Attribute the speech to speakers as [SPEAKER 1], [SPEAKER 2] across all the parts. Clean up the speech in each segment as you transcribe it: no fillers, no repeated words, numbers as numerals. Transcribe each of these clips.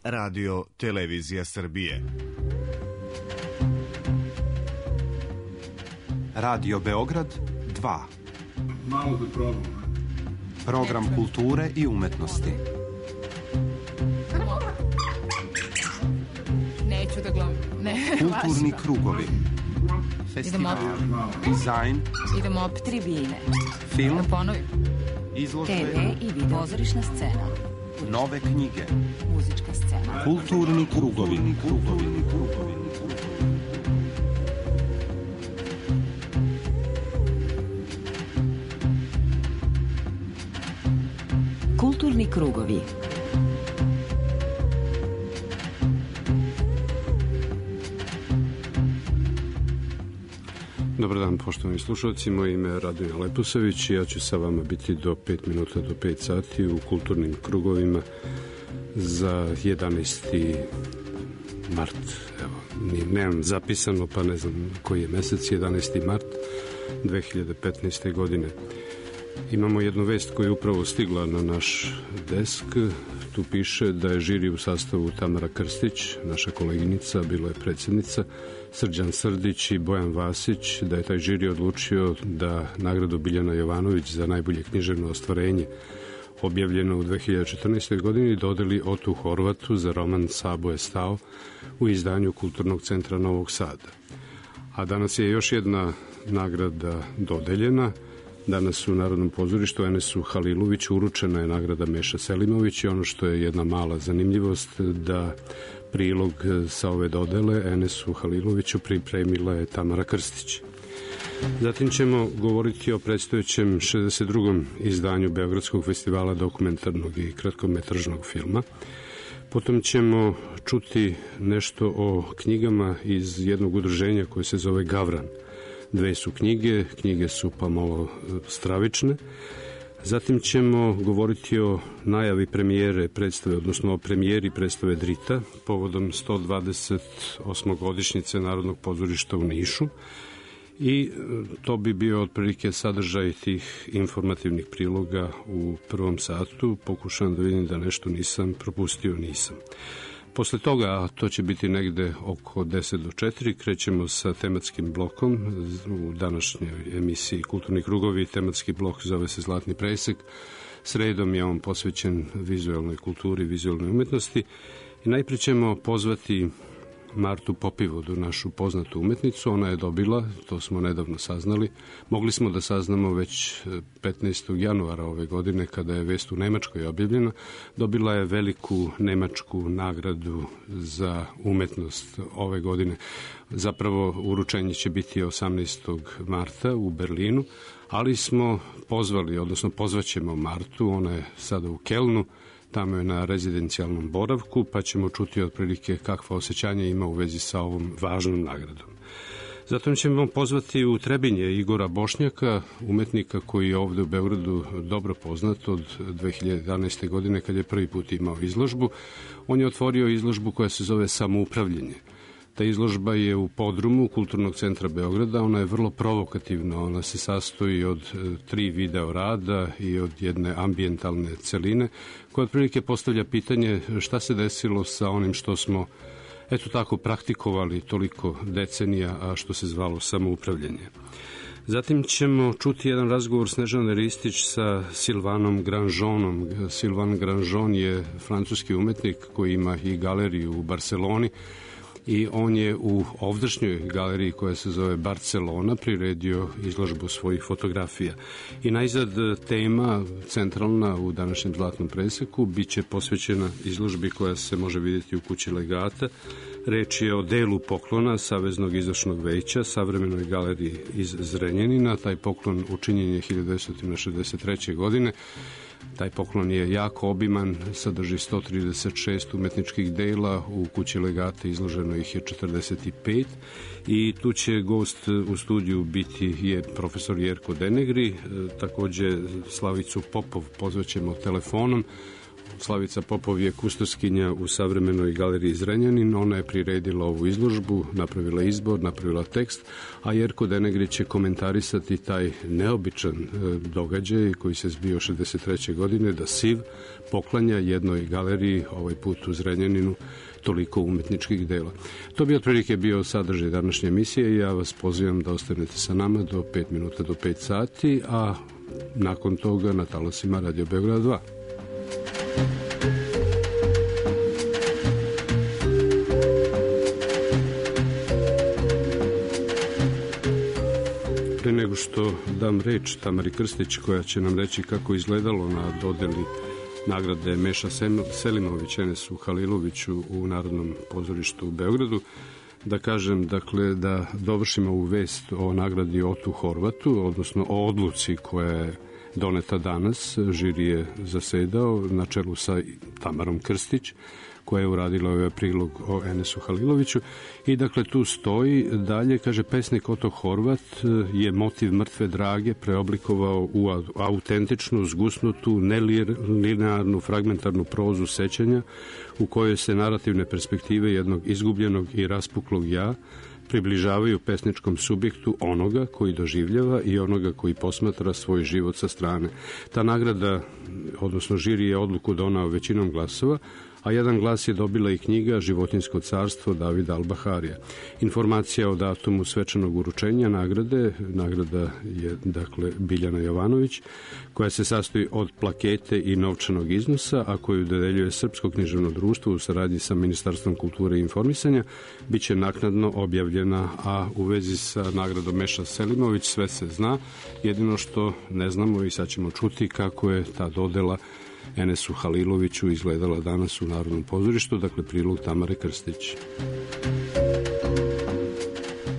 [SPEAKER 1] Radio Televizija Srbije.
[SPEAKER 2] Radio Beograd 2.
[SPEAKER 3] Malo da probam.
[SPEAKER 2] Program kulture i umetnosti.
[SPEAKER 4] Neću da gledam.
[SPEAKER 2] Kulturni krugovi. Festival, dizajn.
[SPEAKER 4] Idemo opet tribine.
[SPEAKER 2] Film.
[SPEAKER 4] Da ponovim.
[SPEAKER 2] Izložbe.
[SPEAKER 4] TV i video. Pozorišna scena.
[SPEAKER 2] Nove knjige.
[SPEAKER 4] Muzička scena.
[SPEAKER 2] Kulturni krugovi.
[SPEAKER 4] Kulturni krugovi.
[SPEAKER 5] Dobar dan, poštovani slušalci. Moje ime je Radmila Leposavić i ja ću sa vama biti do 5 minuta do 5 sati u kulturnim krugovima za 11. mart. Evo, nemam zapisano, pa ne znam koji je mesec, 11. mart 2015. godine. Imamo jednu vest koja je upravo stigla na naš desk. Tu piše da je žiri u sastavu Tamara Krstić, naša koleginica, bila je predsjednica, Srđan Srdić i Bojan Vasić, da je taj žiri odlučio da nagradu Biljana Jovanović za najbolje književno ostvarenje objavljeno u 2014. godini dodeli Otu Horvatu za roman Sabo je stao u izdanju Kulturnog centra Novog Sada. A danas je još jedna nagrada dodeljena. Danas u Narodnom pozorištu Enesu Haliloviću uručena je nagrada Meša Selimović i ono što je jedna mala zanimljivost da prilog sa ove dodele Enesu Haliloviću pripremila je Tamara Krstić. Zatim ćemo govoriti o predstojećem 62. izdanju Beogradskog festivala dokumentarnog i kratkometražnog filma. Potom ćemo čuti nešto o knjigama iz jednog udruženja koje se zove Gavran. Dve su knjige su pa malo stravične. Zatim ćemo govoriti o najavi premijere predstave, odnosno o premijeri predstave Drita, povodom 128. godišnjice Narodnog pozorišta u Nišu. I to bi bio otprilike sadržaj tih informativnih priloga u prvom satu. Pokušavam da vidim da nešto nisam propustio, nisam. Posle toga, a to će biti negde oko 10 do 4, krećemo sa tematskim blokom. U današnjoj emisiji Kulturni krugovi tematski blok zove se Zlatni presek. Sredom je on posvećen vizualnoj kulturi, vizualnoj umetnosti. I najprije ćemo pozvati Martu Popivodu, našu poznatu umetnicu. Ona je dobila, to smo nedavno saznali, mogli smo da saznamo već 15. januara ove godine kada je vest u Nemačkoj objavljena, dobila je veliku nemačku nagradu za umetnost ove godine. Zapravo uručenje će biti 18. marta u Berlinu, ali smo pozvali, odnosno pozvaćemo Martu, ona je sada u Kelnu, tamo je na rezidencijalnom boravku, pa ćemo čuti otprilike kakva osjećanja ima u vezi sa ovom važnom nagradom. Zatim ćemo pozvati u Trebinje Igora Bošnjaka, umetnika koji je ovde u Beogradu dobro poznat od 2011. godine kad je prvi put imao izložbu. On je otvorio izložbu koja se zove Samoupravljanje. Ta izložba je u podrumu Kulturnog centra Beograda, ona je vrlo provokativna, ona se sastoji od 3 video rada i od jedne ambijentalne celine, koja otprilike postavlja pitanje šta se desilo sa onim što smo, eto tako, praktikovali toliko decenija, a što se zvalo samoupravljanje. Zatim ćemo čuti jedan razgovor Snežane Ristić sa Sylvanom Granjonom. Sylvain Granjon je francuski umetnik koji ima i galeriju u Barceloni, i on je u ovdašnjoj galeriji koja se zove Barcelona priredio izložbu svojih fotografija. I najzad tema centralna u današnjem Zlatnom preseku biće posvećena izložbi koja se može vidjeti u kući Legata. Reč je o delu poklona Saveznog izvršnog veća savremenoj galeriji iz Zrenjanina. Taj poklon učinjen je 1963. godine. Taj poklon je jako obiman, sadrži 136 umetničkih dela, u kući Legata izloženo ih je 45 i tu će gost u studiju biti je profesor Jerko Denegri, takođe Slavicu Popov pozvaćemo telefonom. Slavica Popov je kustoskinja u savremenoj galeriji Zrenjanin. Ona je priredila ovu izložbu, napravila izbor, napravila tekst, a Jerko Denegrić će komentarisati taj neobičan događaj koji se zbio 63. godine, da SIV poklanja jednoj galeriji, ovaj put u Zrenjaninu, toliko umetničkih dela. To bi otprilike bio sadržaj današnje emisije i ja vas pozivam da ostanete sa nama do 5 minuta do 5 sati, a nakon toga na talasima Radio Beograd 2. Pre nego što dam reč Tamari Krstić, koja će nam reći kako izgledalo na dodeli nagrade Meša Selimović Enesu Haliloviću u Narodnom pozorištu u Beogradu, da kažem, dakle, da dovršimo ovu vest o nagradi Otu Horvatu, odnosno o odluci koja je doneta danas. Žiri je zasedao na čelu sa Tamarom Krstić, koja je uradila ovaj prilog o Enesu Haliloviću. I dakle tu stoji dalje, kaže, pesnik Oto Horvat je motiv mrtve drage preoblikovao u autentičnu, zgusnutu, nelinearnu, fragmentarnu prozu sećanja u kojoj se narativne perspektive jednog izgubljenog i raspuklog ja približavaju pesničkom subjektu onoga koji doživljava i onoga koji posmatra svoj život sa strane. Ta nagrada, odnosno žiri je odluku donao većinom glasova, a jedan glas je dobila i knjiga Životinjsko carstvo Davida Albaharija. Informacija o datumu svečanog uručenja nagrade, nagrada je dakle Biljana Jovanović, koja se sastoji od plakete i novčanog iznosa, a koju dodeljuje Srpsko književno društvo u saradnji sa Ministarstvom kulture i informisanja, biće naknadno objavljena, a u vezi sa nagradom Meša Selimović sve se zna, jedino što ne znamo i sad ćemo čuti kako je ta dodela Enesu Haliloviću izgledala danas u Narodnom pozorištu, dakle prilog Tamare Krstić.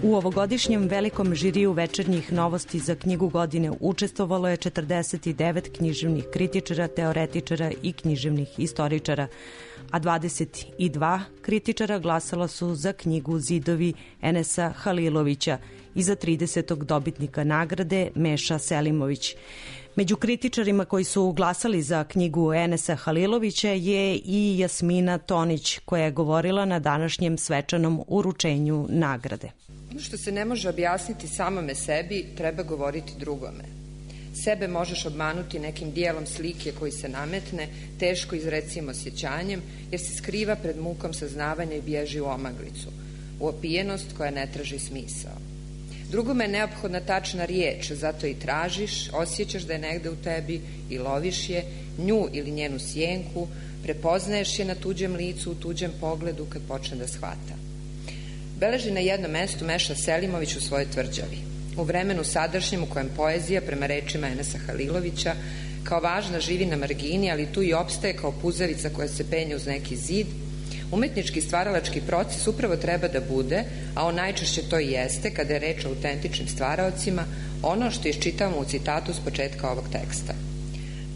[SPEAKER 6] U ovogodišnjem velikom žiriju večernjih novosti za knjigu godine učestvovalo je 49 književnih kritičara, teoretičara i književnih istoričara, a 22 kritičara glasala su za knjigu Zidovi Enesa Halilovića i za 30. dobitnika nagrade Meša Selimović. Među kritičarima koji su glasali za knjigu Enesa Halilovića je i Jasmina Tonić, koja je govorila na današnjem svečanom uručenju nagrade.
[SPEAKER 7] Ono što se ne može objasniti samome sebi, treba govoriti drugome. Sebe možeš obmanuti nekim dijelom slike koji se nametne, teško izrecimo osjećanjem, jer se skriva pred mukom saznavanja i bježi u omaglicu, u opijenost koja ne traži smisao. Drugome je neophodna tačna riječ, zato i tražiš, osjećaš da je negde u tebi i loviš je, nju ili njenu sjenku, prepoznaješ je na tuđem licu, u tuđem pogledu kad počne da shvata. Beleži na jednom mestu Meša Selimović u svojoj tvrđavi. U vremenu sadašnjem u kojem poezija, prema rečima Enesa Halilovića, kao važna živi na margini, ali tu i opstaje kao puzavica koja se penje uz neki zid, umetnički stvaralački proces upravo treba da bude, a on najčešće to i jeste, kada je reč o autentičnim stvaraocima, ono što iščitavamo u citatu s početka ovog teksta.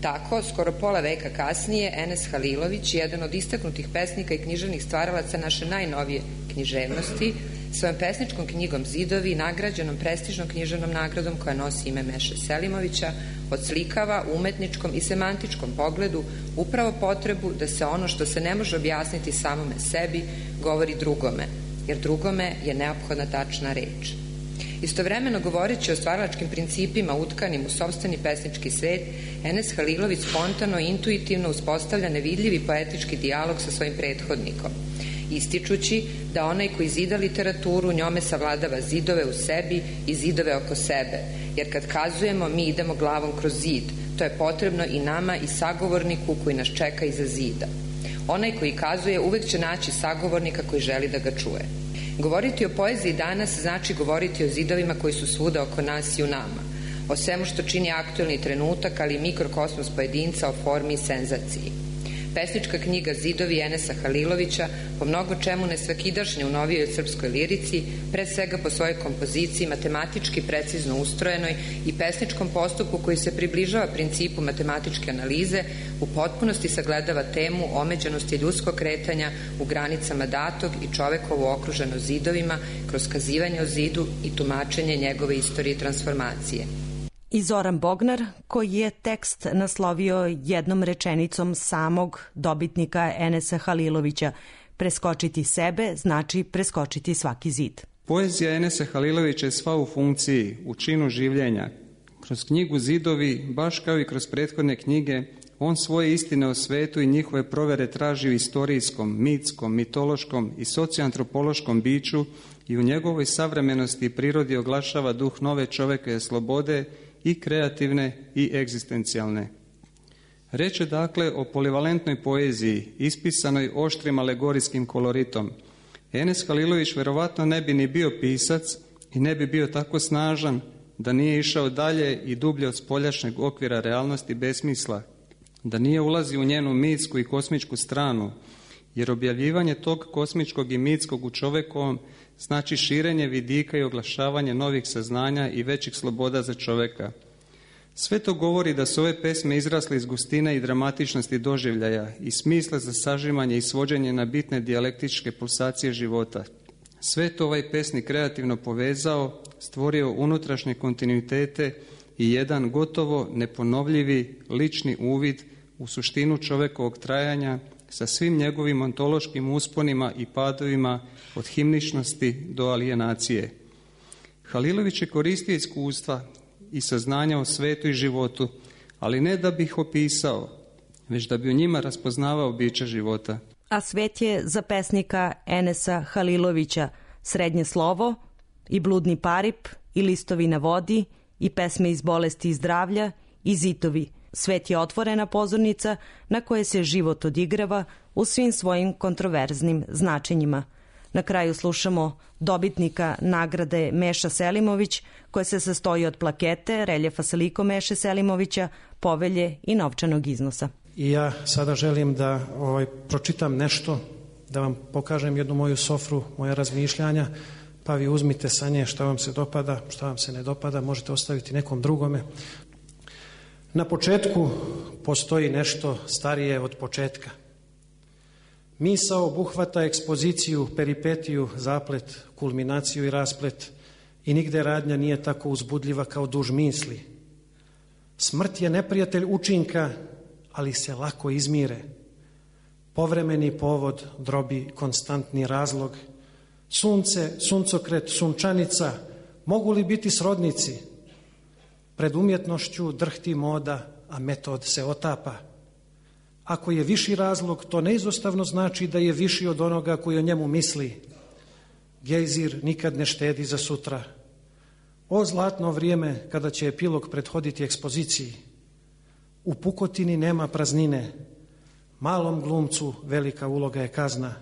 [SPEAKER 7] Tako, skoro pola veka kasnije, Enes Halilović, jedan od istaknutih pesnika i književnih stvaralaca naše najnovije književnosti, svojom pesničkom knjigom Zidovi, nagrađenom prestižnom književnom nagradom koja nosi ime Meše Selimovića, odslikava u umetničkom i semantičkom pogledu upravo potrebu da se ono što se ne može objasniti samome sebi govori drugome, jer drugome je neophodna tačna reč. Istovremeno govoreći o stvaralačkim principima utkanim u sopstveni pesnički svet, Enes Halilović spontano i intuitivno uspostavlja nevidljivi poetički dijalog sa svojim prethodnikom, ističući da onaj koji zida literaturu njome savladava zidove u sebi i zidove oko sebe, jer kad kazujemo mi idemo glavom kroz zid, to je potrebno i nama i sagovorniku koji nas čeka iza zida. Onaj koji kazuje uvek će naći sagovornika koji želi da ga čuje. Govoriti o poeziji danas znači govoriti o zidovima koji su svuda oko nas i u nama, o svemu što čini aktuelni trenutak, ali i mikrokosmos pojedinca o formi i senzaciji. Pesnička knjiga Zidovi Enesa Halilovića po mnogo čemu nesvakidašnje u novijoj srpskoj lirici, pre svega po svojoj kompoziciji matematički precizno ustrojenoj i pesničkom postupku koji se približava principu matematičke analize, u potpunosti sagledava temu omeđenosti ljudskog kretanja u granicama datog i čovekovo okruženo zidovima kroz kazivanje o zidu i tumačenje njegove istorije transformacije.
[SPEAKER 6] I Zoran Bognar, koji je tekst naslovio jednom rečenicom samog dobitnika Enesa Halilovića: preskočiti sebe znači preskočiti svaki zid.
[SPEAKER 8] Poezija Enesa Halilovića je sva u funkciji, u činu življenja. Kroz knjigu Zidovi, baš kao i kroz prethodne knjige, on svoje istine o svetu i njihove provere traži u istorijskom, mitskom, mitološkom i socioantropološkom biću i u njegovoj savremenosti i prirodi oglašava duh nove čovekove slobode, i kreativne i egzistencijalne. Reč je dakle o polivalentnoj poeziji, ispisanoj oštrim alegorijskim koloritom. Enes Halilović verovatno ne bi ni bio pisac i ne bi bio tako snažan da nije išao dalje i dublje od spoljašnjeg okvira realnosti besmisla, da nije ulazio u njenu mitsku i kosmičku stranu, jer objavljivanje tog kosmičkog i mitskog u čovekovom znači širenje vidika i oglašavanje novih saznanja i većih sloboda za čoveka. Sve to govori da su ove pesme izrasle iz gustine i dramatičnosti doživljaja i smisla za sažimanje i svođenje na bitne dijalektičke pulsacije života. Sve to ovaj pesnik kreativno povezao, stvorio unutrašnje kontinuitete i jedan gotovo neponovljivi lični uvid u suštinu čovekovog trajanja sa svim njegovim ontološkim usponima i padovima od himničnosti do alijenacije. Halilović je koristio iskustva i saznanja o svetu i životu, ali ne da bi ih opisao, već da bi u njima raspoznavao biće života.
[SPEAKER 6] A svet je za pesnika Enesa Halilovića Srednje slovo i Bludni parip i Listovi na vodi i Pesme iz bolesti i zdravlja i Zitovi. Svet je otvorena pozornica na koje se život odigrava u svim svojim kontroverznim značenjima. Na kraju slušamo dobitnika nagrade Meša Selimović, koja se sastoji od plakete, reljefa sa likom Meše Selimovića, povelje i novčanog iznosa.
[SPEAKER 9] I ja sada želim da pročitam nešto, da vam pokažem jednu moju sofru, moja razmišljanja, pa vi uzmite sa nje šta vam se dopada, šta vam se ne dopada, možete ostaviti nekom drugome. Na početku postoji nešto starije od početka. Misao obuhvata ekspoziciju, peripetiju, zaplet, kulminaciju i rasplet i nigde radnja nije tako uzbudljiva kao duž misli. Smrt je neprijatelj učinka, ali se lako izmire. Povremeni povod drobi konstantni razlog. Sunce, suncokret, sunčanica, mogu li biti srodnici? Pred umjetnošću drhti moda, a metod se otapa. Ako je viši razlog, to neizostavno znači da je viši od onoga koji o njemu misli. Gejzir nikad ne štedi za sutra. O zlatno vrijeme kada će epilog prethoditi ekspoziciji. U pukotini nema praznine. Malom glumcu velika uloga je kazna.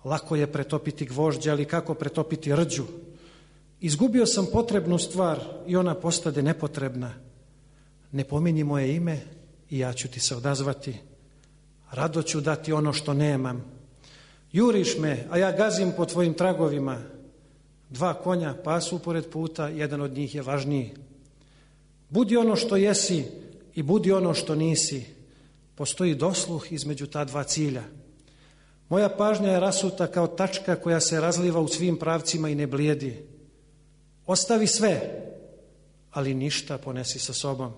[SPEAKER 9] Lako je pretopiti gvožđe, ali kako pretopiti rđu? Izgubio sam potrebnu stvar i ona postade nepotrebna. Ne pominji moje ime i ja ću ti se odazvati. Rado ću dati ono što nemam. Juriš me, a ja gazim po tvojim tragovima. 2 konja pasu pored puta, jedan od njih je važniji. Budi ono što jesi i budi ono što nisi. Postoji dosluh između ta 2 cilja. Moja pažnja je rasuta kao tačka koja se razliva u svim pravcima i ne blijedi. Ostavi sve, ali ništa ponesi sa sobom.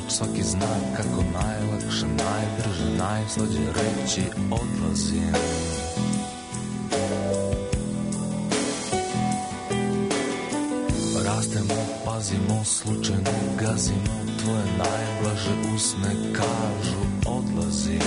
[SPEAKER 10] Svaki znak kako najlakše, najbrže, najslađe reći odlazim. Rastemo, pazimo, slučajno gazimo, tvoje najblaže usne kažu odlazim.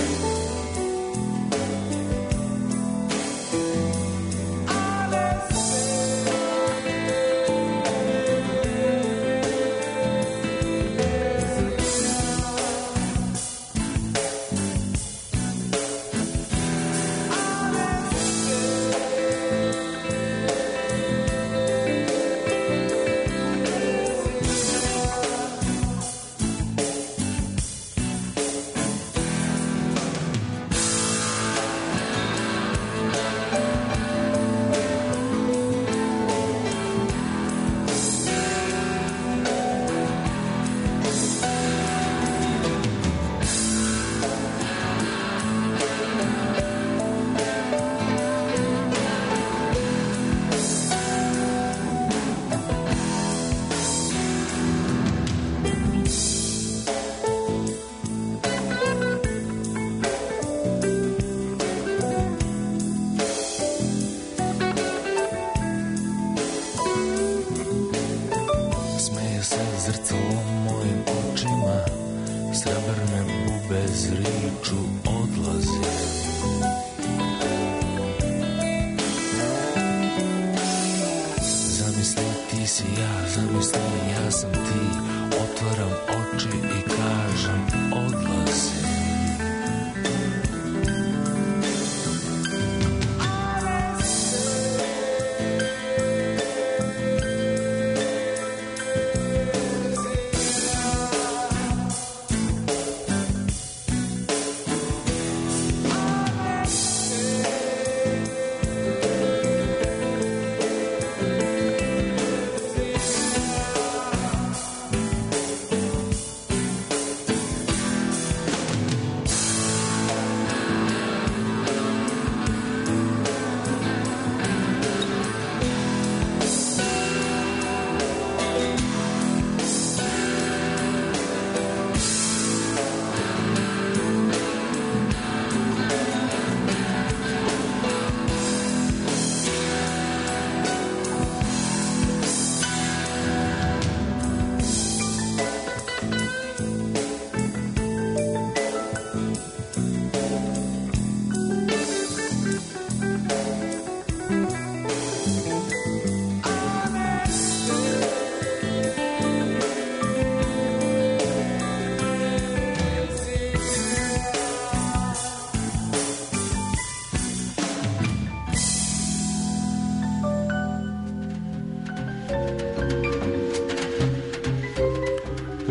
[SPEAKER 10] izriču odlazim. Zamisli ti si ja, zamisli ja sam ti, otvaram oči i kažem odlazim.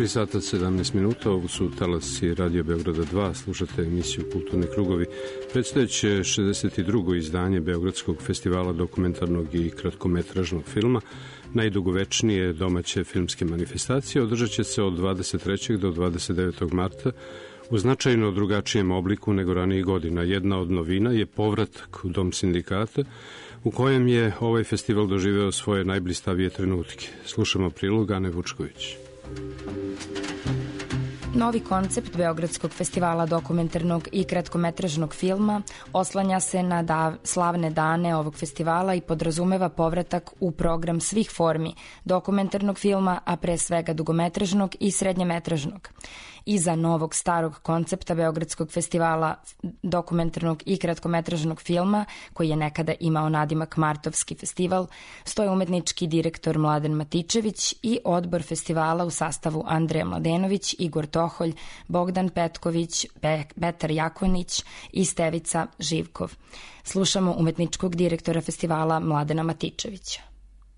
[SPEAKER 5] Sata 17 minuta, ovo su talasi Radio Beograda 2, slušate emisiju Kulturni krugovi. Predstojeće 62. izdanje Beogradskog festivala dokumentarnog i kratkometražnog filma, najdugovečnije domaće filmske manifestacije, održat će se od 23. do 29. marta u značajno drugačijem obliku nego ranijih godina. Jedna od novina je povratak u Dom sindikata, u kojem je ovaj festival doživeo svoje najblistavije trenutke. Slušamo prilog Ane Vučković.
[SPEAKER 11] Novi koncept Beogradskog festivala dokumentarnog i kratkometražnog filma oslanja se na slavne dane ovog festivala i podrazumeva povratak u program svih formi dokumentarnog filma, a pre svega dugometražnog i srednjemetražnog. Iza novog starog koncepta Beogradskog festivala dokumentarnog i kratkometražnog filma, koji je nekada imao nadimak Martovski festival, stoje umetnički direktor Mladen Matičević i odbor festivala u sastavu Andreja Mladenović, Igor Toholj, Bogdan Petković, Petar Jakonić i Stevica Živkov. Slušamo umetničkog direktora festivala Mladena Matičevića.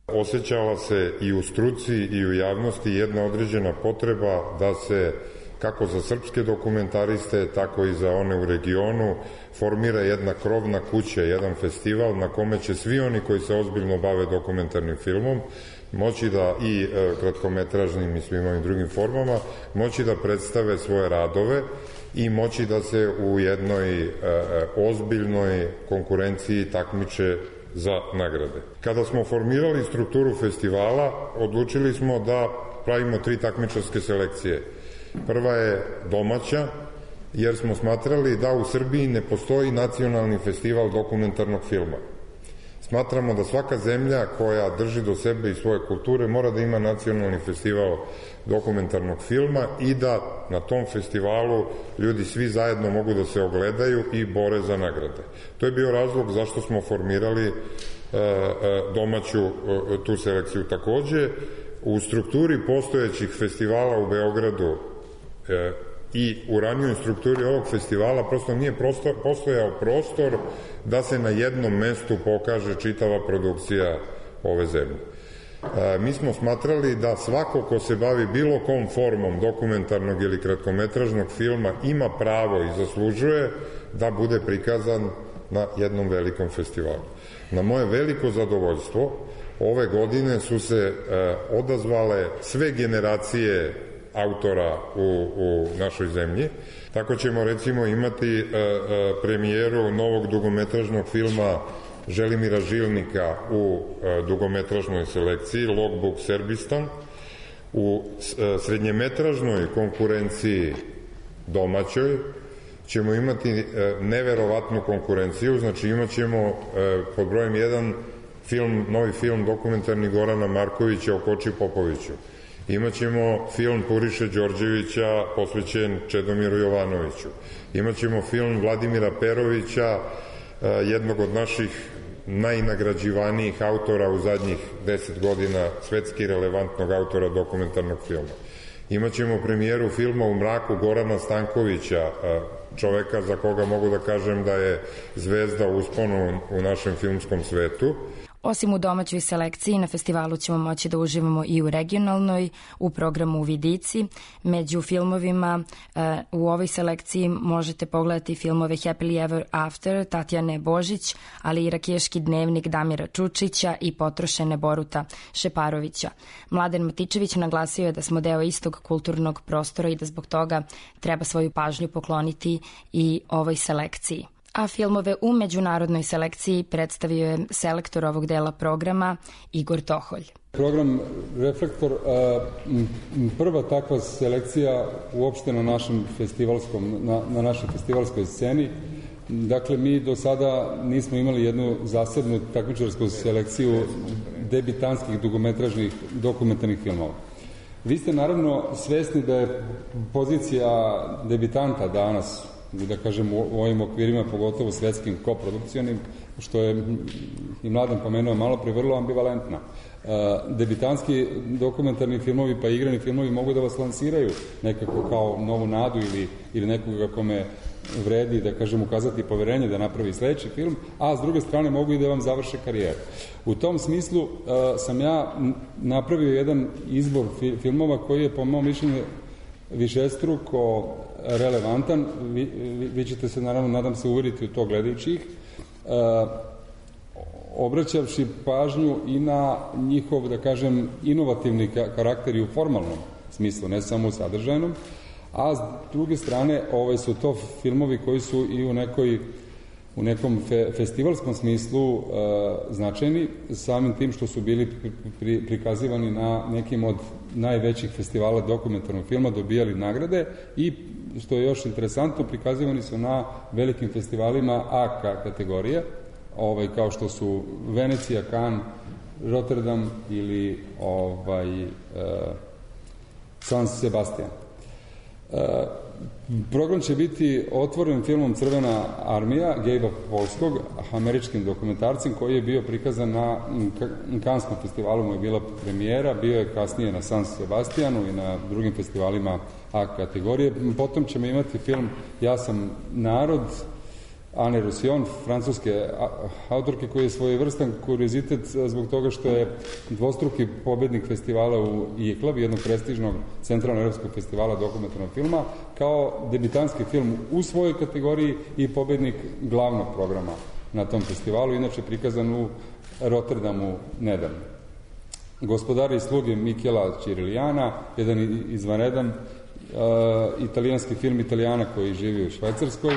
[SPEAKER 12] Osjećala se i u struci i u javnosti jedna određena potreba da se, kako za srpske dokumentariste, tako i za one u regionu, formira jedna krovna kuća, jedan festival na kome će svi oni koji se ozbiljno bave dokumentarnim filmom moći da, i kratkometražnim i svim ovim drugim formama, moći da predstave svoje radove i moći da se u jednoj ozbiljnoj konkurenciji takmiče za nagrade. Kada smo formirali strukturu festivala, odlučili smo da pravimo 3 takmičarske selekcije. Prva je domaća, jer smo smatrali da u Srbiji ne postoji nacionalni festival dokumentarnog filma. Smatramo da svaka zemlja koja drži do sebe i svoje kulture mora da ima nacionalni festival dokumentarnog filma i da na tom festivalu ljudi svi zajedno mogu da se ogledaju i bore za nagrade. To je bio razlog zašto smo formirali domaću tu selekciju. Takođe, u strukturi postojećih festivala u Beogradu i u ranijoj strukturi ovog festivala prosto nije postojao prostor da se na jednom mestu pokaže čitava produkcija ove zemlje. Mi smo smatrali da svako ko se bavi bilo kom formom dokumentarnog ili kratkometražnog filma ima pravo i zaslužuje da bude prikazan na jednom velikom festivalu. Na moje veliko zadovoljstvo, ove godine su se odazvale sve generacije autora u našoj zemlji. Tako ćemo recimo imati premijeru novog dugometražnog filma Želimira Žilnika u dugometražnoj selekciji Logbook Serbistan. U srednjemetražnoj konkurenciji domaćoj ćemo imati neverovatnu konkurenciju, znači imat ćemo pod brojem 1 novi film dokumentarni Gorana Markovića o Koči Popoviću. Imaćemo film Puriše Đorđevića posvećen Čedomiru Jovanoviću. Imaćemo film Vladimira Perovića, jednog od naših najnagrađivanijih autora u zadnjih 10 godina, svetski relevantnog autora dokumentarnog filma. Imaćemo premijeru filma U mraku Gorana Stankovića, čoveka za koga mogu da kažem da je zvezda u usponu u našem filmskom svetu.
[SPEAKER 11] Osim u domaćoj selekciji, na festivalu ćemo moći da uživamo i u regionalnoj, u programu Vidici. Među filmovima u ovoj selekciji možete pogledati filmove Happily Ever After Tatjane Božić, ali i Rakeški dnevnik Damira Čučića i Potrošene Boruta Šeparovića. Mladen Matičević naglasio je da smo deo istog kulturnog prostora i da zbog toga treba svoju pažnju pokloniti i ovoj selekciji. A filmove u međunarodnoj selekciji predstavio je selektor ovog dela programa Igor Toholj.
[SPEAKER 13] Program Reflektor, prva takva selekcija uopšte na našem na našoj festivalskoj sceni. Dakle, mi do sada nismo imali jednu zasebnu takmičarsku selekciju debitanskih dugometražnih dokumentarnih filmova. Vi ste naravno svesni da je pozicija debitanta danas, da kažem u ovim okvirima, pogotovo svetskim koprodukcionim, što je i Mladen pomenuo malo pre, vrlo ambivalentna. Debitanski dokumentarni filmovi pa igrani filmovi mogu da vas lansiraju nekako kao novu nadu ili nekoga kome vredi, da kažem, ukazati poverenje da napravi sledeći film, a s druge strane mogu i da vam završe karijeru. U tom smislu sam ja napravio jedan izbor filmova koji je po mom mišljenju višestruko relevantan. Vi ćete se, naravno, nadam se, uveriti u to gledajući ih, obraćavši pažnju i na njihov, da kažem, inovativni karakter i u formalnom smislu, ne samo u sadržajnom, a s druge strane su to filmovi koji su i u nekom festivalskom smislu značajni, samim tim što su bili prikazivani na nekim od najvećih festivala dokumentarnog filma, dobijali nagrade i, što je još interesantno, prikazivani su na velikim festivalima A kategorije, kao što su Venecija, Cannes, Rotterdam ili San Sebastian. Program će biti otvoren filmom Crvena armija Gabe'a Polskog, američkim dokumentarcem, koji je bio prikazan na Canneskom festivalu, mu je bila premijera, bio je kasnije na San Sebastianu i na drugim festivalima A kategorije. Potom ćemo imati film Ja sam narod, Anne Roussillon, francuske autorke, koji je svojevrstan kuriozitet zbog toga što je dvostruki pobednik festivala u ICLAB, jednog prestižnog centralno-evropskog festivala dokumentarnog filma, kao debitanski film u svojoj kategoriji i pobednik glavnog programa na tom festivalu, inače prikazan u Rotterdamu nedavno. Gospodari i sluge Michela Cirigliana, jedan izvanredan italijanski film Italijana koji živi u Švajcarskoj.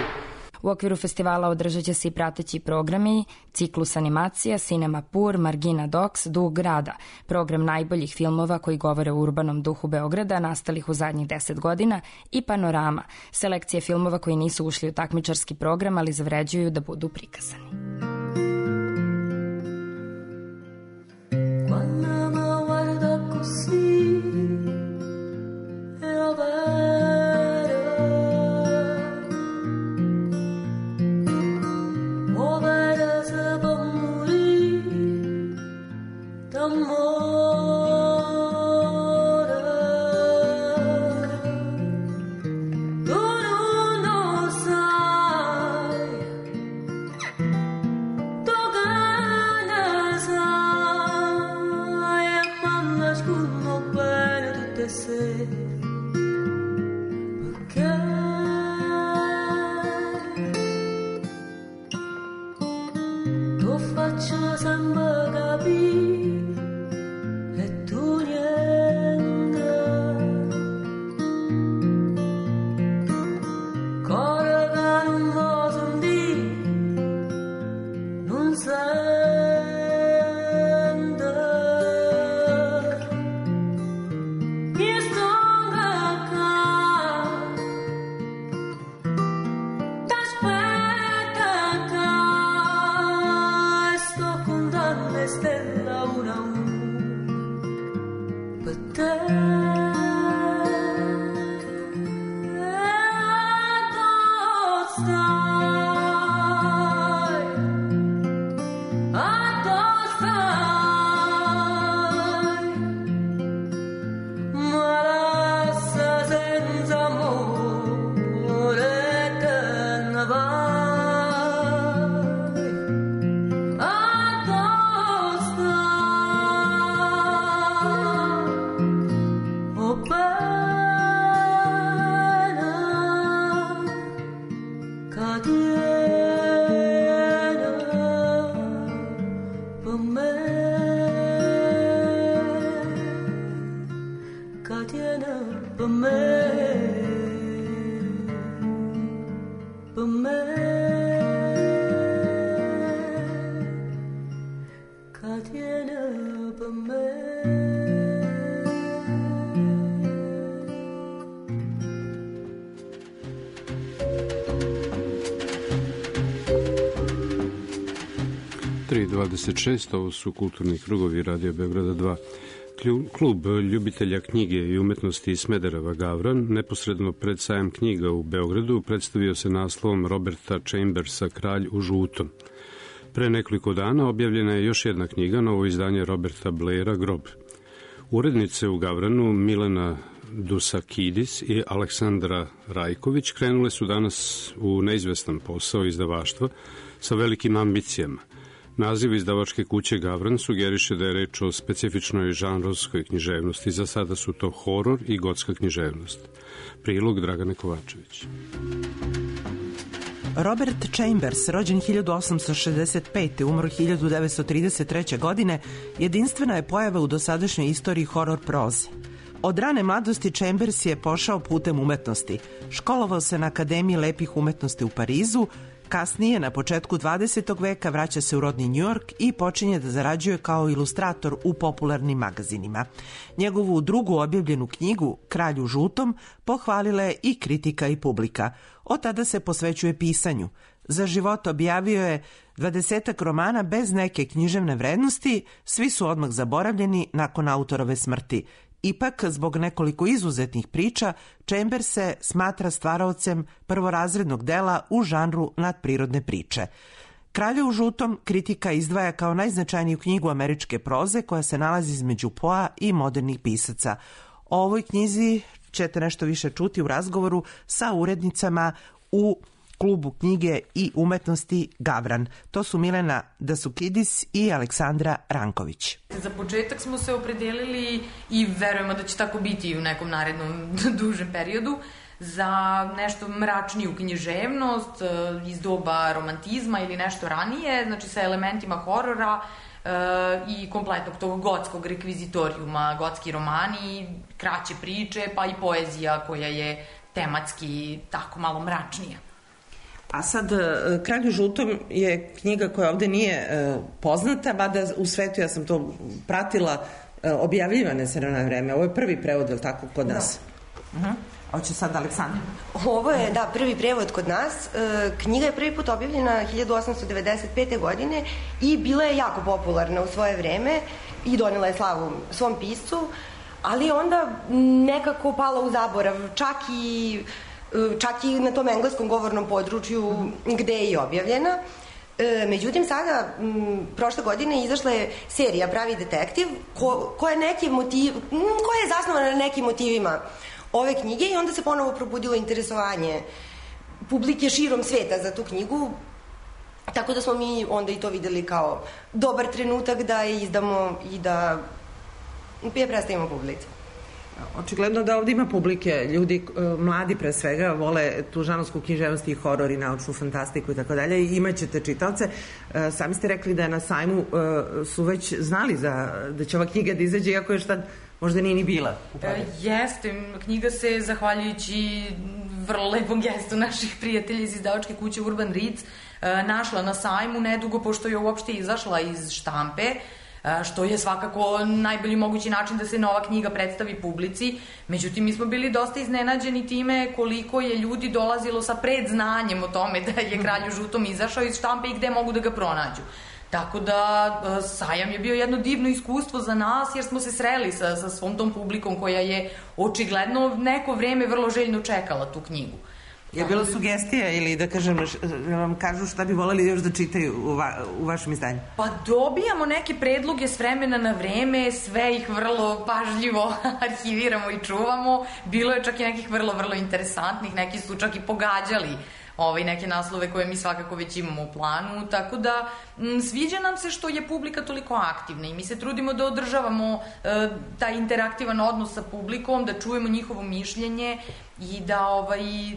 [SPEAKER 11] U okviru festivala održat će se i prateći programi, ciklus animacija, Cinema Pur, Margina Docs, Duh grada, program najboljih filmova koji govore o urbanom duhu Beograda, nastalih u zadnjih 10 godina, i Panorama, selekcije filmova koji nisu ušli u takmičarski program, ali zavređuju da budu prikazani.
[SPEAKER 14] me, Katiana pa me, pa me, Katiana pa me.
[SPEAKER 5] 3:26, ovo su kulturni krugovi Radio Beograda 2. Klub ljubitelja knjige i umetnosti iz Smedereva Gavran, neposredno pred sajam knjiga u Beogradu, predstavio se naslovom Roberta Chambersa Kralj u žutom. Pre nekoliko dana objavljena je još jedna knjiga, novo izdanje Roberta Blaira Grob. Urednice u Gavranu Milena Dusakidis i Aleksandra Rajković krenule su danas u neizvestan posao izdavaštva sa velikim ambicijama. Naziv izdavačke kuće Gavran sugeriše da je reč o specifičnoj žanrovskoj književnosti. Za sada su to horor i gotska književnost. Prilog Dragane Kovačević.
[SPEAKER 15] Robert Chambers, rođen 1865. umro 1933. godine, jedinstvena je pojava u dosadašnjoj istoriji horor proze. Od rane mladosti Chambers je pošao putem umetnosti. Školovao se na Akademiji lepih umetnosti u Parizu, kasnije, na početku 20. veka, vraća se u rodni New York i počinje da zarađuje kao ilustrator u popularnim magazinima. Njegovu drugu objavljenu knjigu, Kralj u žutom, pohvalila je i kritika i publika. Od tada se posvećuje pisanju. Za život objavio je 20 romana bez neke književne vrednosti, svi su odmah zaboravljeni nakon autorove smrti. Ipak, zbog nekoliko izuzetnih priča, Chambers se smatra stvaraocem prvorazrednog dela u žanru nadprirodne priče. Kralja u žutom kritika izdvaja kao najznačajniju knjigu američke proze koja se nalazi između Poa i modernih pisaca. O ovoj knjizi ćete nešto više čuti u razgovoru sa urednicama u Klubu knjige i umetnosti Gavran. To su Milena Dusakidis i Aleksandra Ranković.
[SPEAKER 16] Za početak smo se opredelili i verujemo da će tako biti u nekom narednom dužem periodu za nešto mračniju književnost iz doba romantizma ili nešto ranije, znači sa elementima horora i kompletnog tog gotskog rekvizitorijuma, gotski romani, kraće priče, pa i poezija koja je tematski tako malo mračnija.
[SPEAKER 15] A sad, Kralj u žutom je knjiga koja ovde nije poznata, mada u svetu, ja sam to pratila, objavljivane se na vreme. Ovo je prvi prevod, je li tako, kod nas? Da. Hoće sad Aleksandra.
[SPEAKER 17] Ovo je, da, prvi prevod kod nas. Knjiga je prvi put objavljena 1895. godine i bila je jako popularna u svoje vreme i donela je slavu svom piscu, ali onda nekako pala u zaborav, čak i na tom engleskom govornom području gde je i objavljena. Međutim, sada, prošle godine, izašla je serija Pravi detektiv, koja je zasnovana na nekim motivima ove knjige i onda se ponovo probudilo interesovanje publike širom sveta za tu knjigu, tako da smo mi onda i to videli kao dobar trenutak da je izdamo i da je predstavimo publici.
[SPEAKER 15] Očigledno da ovde ima publike, ljudi, mladi pre svega, vole tu žanrovsku književnost i horor i naučnu fantastiku i tako dalje i imaćete čitaoce. Sami ste rekli da na sajmu su već znali da će ova knjiga da izađe, iako još tad možda nije ni bila.
[SPEAKER 16] Jeste, knjiga se, zahvaljujući vrlo lepom gestu naših prijatelja iz izdavačke kuće Urban Reads, našla na sajmu nedugo pošto je uopšte izašla iz štampe, što je svakako najbolji mogući način da se nova knjiga predstavi publici. Međutim, mi smo bili dosta iznenađeni time koliko je ljudi dolazilo sa predznanjem o tome da je Kralj u žutom izašao iz štampe i gde mogu da ga pronađu. Tako da sajam je bio jedno divno iskustvo za nas jer smo se sreli sa svom tom publikom koja je očigledno neko vreme vrlo željno čekala tu knjigu.
[SPEAKER 15] Je bilo sugestija ili da kažem, vam kažu šta bi voleli još da čitaju u vašem izdanju?
[SPEAKER 16] Pa dobijamo neke predloge s vremena na vreme, sve ih vrlo pažljivo arhiviramo i čuvamo. Bilo je čak i nekih vrlo, vrlo interesantnih, neki su čak i pogađali neke naslove koje mi svakako već imamo u planu, tako da sviđa nam se što je publika toliko aktivna i mi se trudimo da održavamo taj interaktivan odnos sa publikom, da čujemo njihovo mišljenje i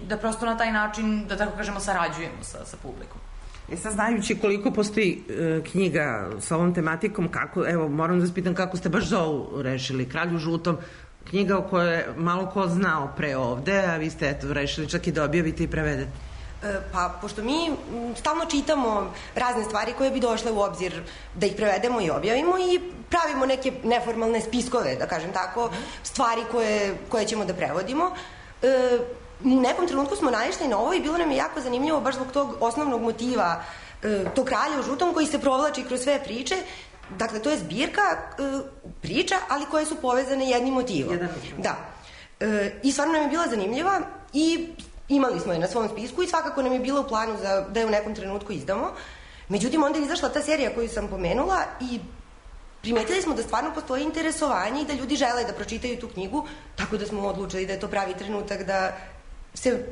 [SPEAKER 16] da prosto na taj način, da tako kažemo, sarađujemo sa publikom.
[SPEAKER 15] Sad znajući koliko postoji knjiga sa ovom tematikom, kako, evo, moram da vas pitam kako ste baš za ovu rešili, Kralj u žutom, knjiga o kojoj je malo ko znao pre ovde, a vi ste eto rešili čak i da objavite i prevedete.
[SPEAKER 17] Pa, pošto mi stalno čitamo razne stvari koje bi došle u obzir da ih prevedemo i objavimo i pravimo neke neformalne spiskove, da kažem tako, stvari koje ćemo da prevodimo. U nekom trenutku smo naišli na ovo i bilo nam je jako zanimljivo baš zbog tog osnovnog motiva tog Kralja u žutom koji se provlači kroz sve priče. Dakle, to je zbirka priča, ali koje su povezane jednim motivom. Da. I stvarno nam je bila zanimljiva i imali smo je na svom spisku i svakako nam je bilo u planu da je u nekom trenutku izdamo. Međutim, onda je izašla ta serija koju sam pomenula i primetili smo da stvarno postoji interesovanje i da ljudi žele da pročitaju tu knjigu, tako da smo odlučili da je to pravi trenutak da se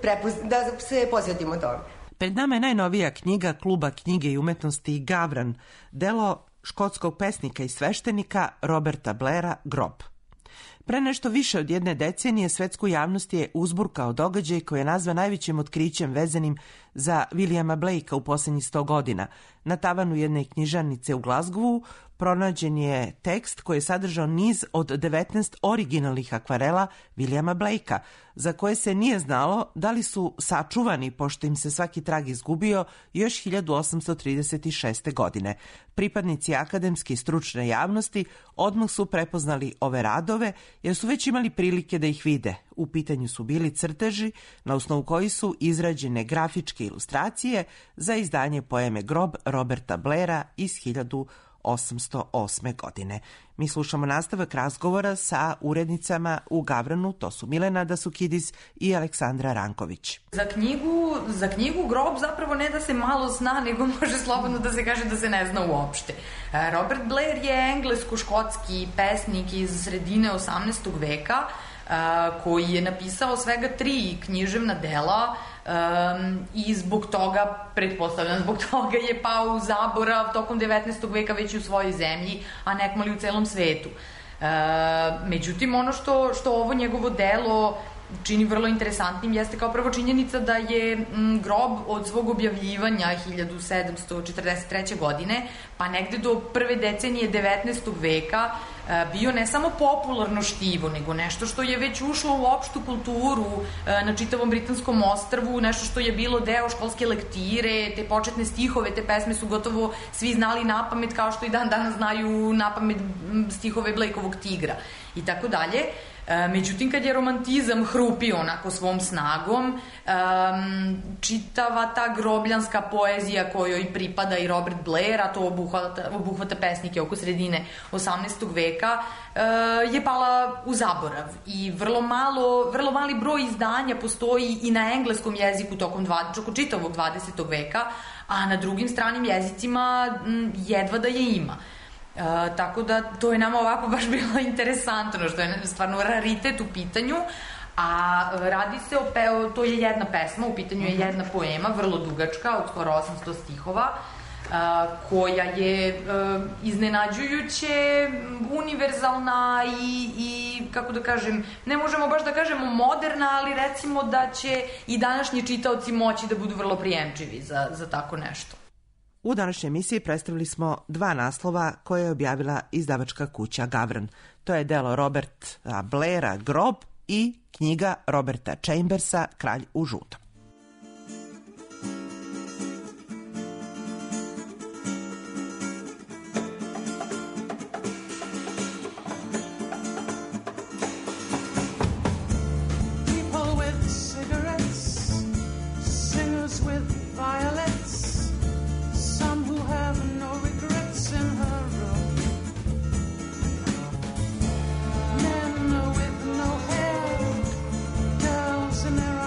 [SPEAKER 17] posvetimo tome.
[SPEAKER 15] Pred nama je najnovija knjiga Kluba knjige i umetnosti Gavran, delo škotskog pesnika i sveštenika Roberta Blaira Grob. Pre nešto više od jedne decenije svetsku javnost je uzburkao događaj koji je nazvan najvećim otkrićem vezanim za Williama Blakea u poslednjih 100 godina. Na tavanu jedne knjižarnice u Glasgowu pronađen je tekst koji je sadržao niz od 19 originalnih akvarela Williama Blakea, za koje se nije znalo da li su sačuvani, pošto im se svaki trag izgubio još 1836. godine. Pripadnici akademske i stručne javnosti odmah su prepoznali ove radove, jer su već imali prilike da ih vide. U pitanju su bili crteži na osnovu koji su izrađene grafičke ilustracije za izdanje poeme Grob Roberta Blaira iz 1808. godine. Mi slušamo nastavak razgovora sa urednicama u Gavranu, to su Milena Dasukidis i Aleksandra Ranković.
[SPEAKER 16] Za knjigu Grob zapravo ne da se malo zna, nego može slobodno da se kaže da se ne zna uopšte. Robert Blair je englesko-škotski pesnik iz sredine 18. veka, koji je napisao svega 3 književna dela i zbog toga, pretpostavljam, zbog toga je pao u zaborav tokom 19. veka već u svojoj zemlji, a nekmali u celom svetu. Međutim, ono što ovo njegovo delo čini vrlo interesantnim jeste kao prvo činjenica da je Grob od svog objavljivanja 1743. godine pa negde do prve decenije 19. veka bio ne samo popularno štivo, nego nešto što je već ušlo u opštu kulturu na čitavom britanskom ostrvu, nešto što je bilo deo školske lektire, te početne stihove, te pesme su gotovo svi znali napamet, kao što i dan danas znaju napamet stihove Blakeovog Tigra i tako dalje. Međutim, kad je romantizam hrupio onako svom snagom, čitava ta grobljanska poezija kojoj pripada i Robert Blair, a to obuhvata pesnike oko sredine 18. veka, je pala u zaborav i vrlo mali broj izdanja postoji i na engleskom jeziku tokom čitavog 20. veka, a na drugim stranim jezicima jedva da je ima. Tako da to je nama ovako baš bilo interesantno, što je stvarno raritet u pitanju, a radi se to je jedna pesma, u pitanju je jedna poema, vrlo dugačka, od skoro 800 stihova, koja je iznenađujuće univerzalna i kako da kažem, ne možemo baš da kažemo moderna, ali recimo da će i današnji čitaoci moći da budu vrlo prijemčivi za tako nešto.
[SPEAKER 15] U današnjoj emisiji predstavili smo 2 naslova koje je objavila izdavačka kuća Gavran. To je delo Roberta Blaira Grob i knjiga Roberta Chambersa Kralj u žutom.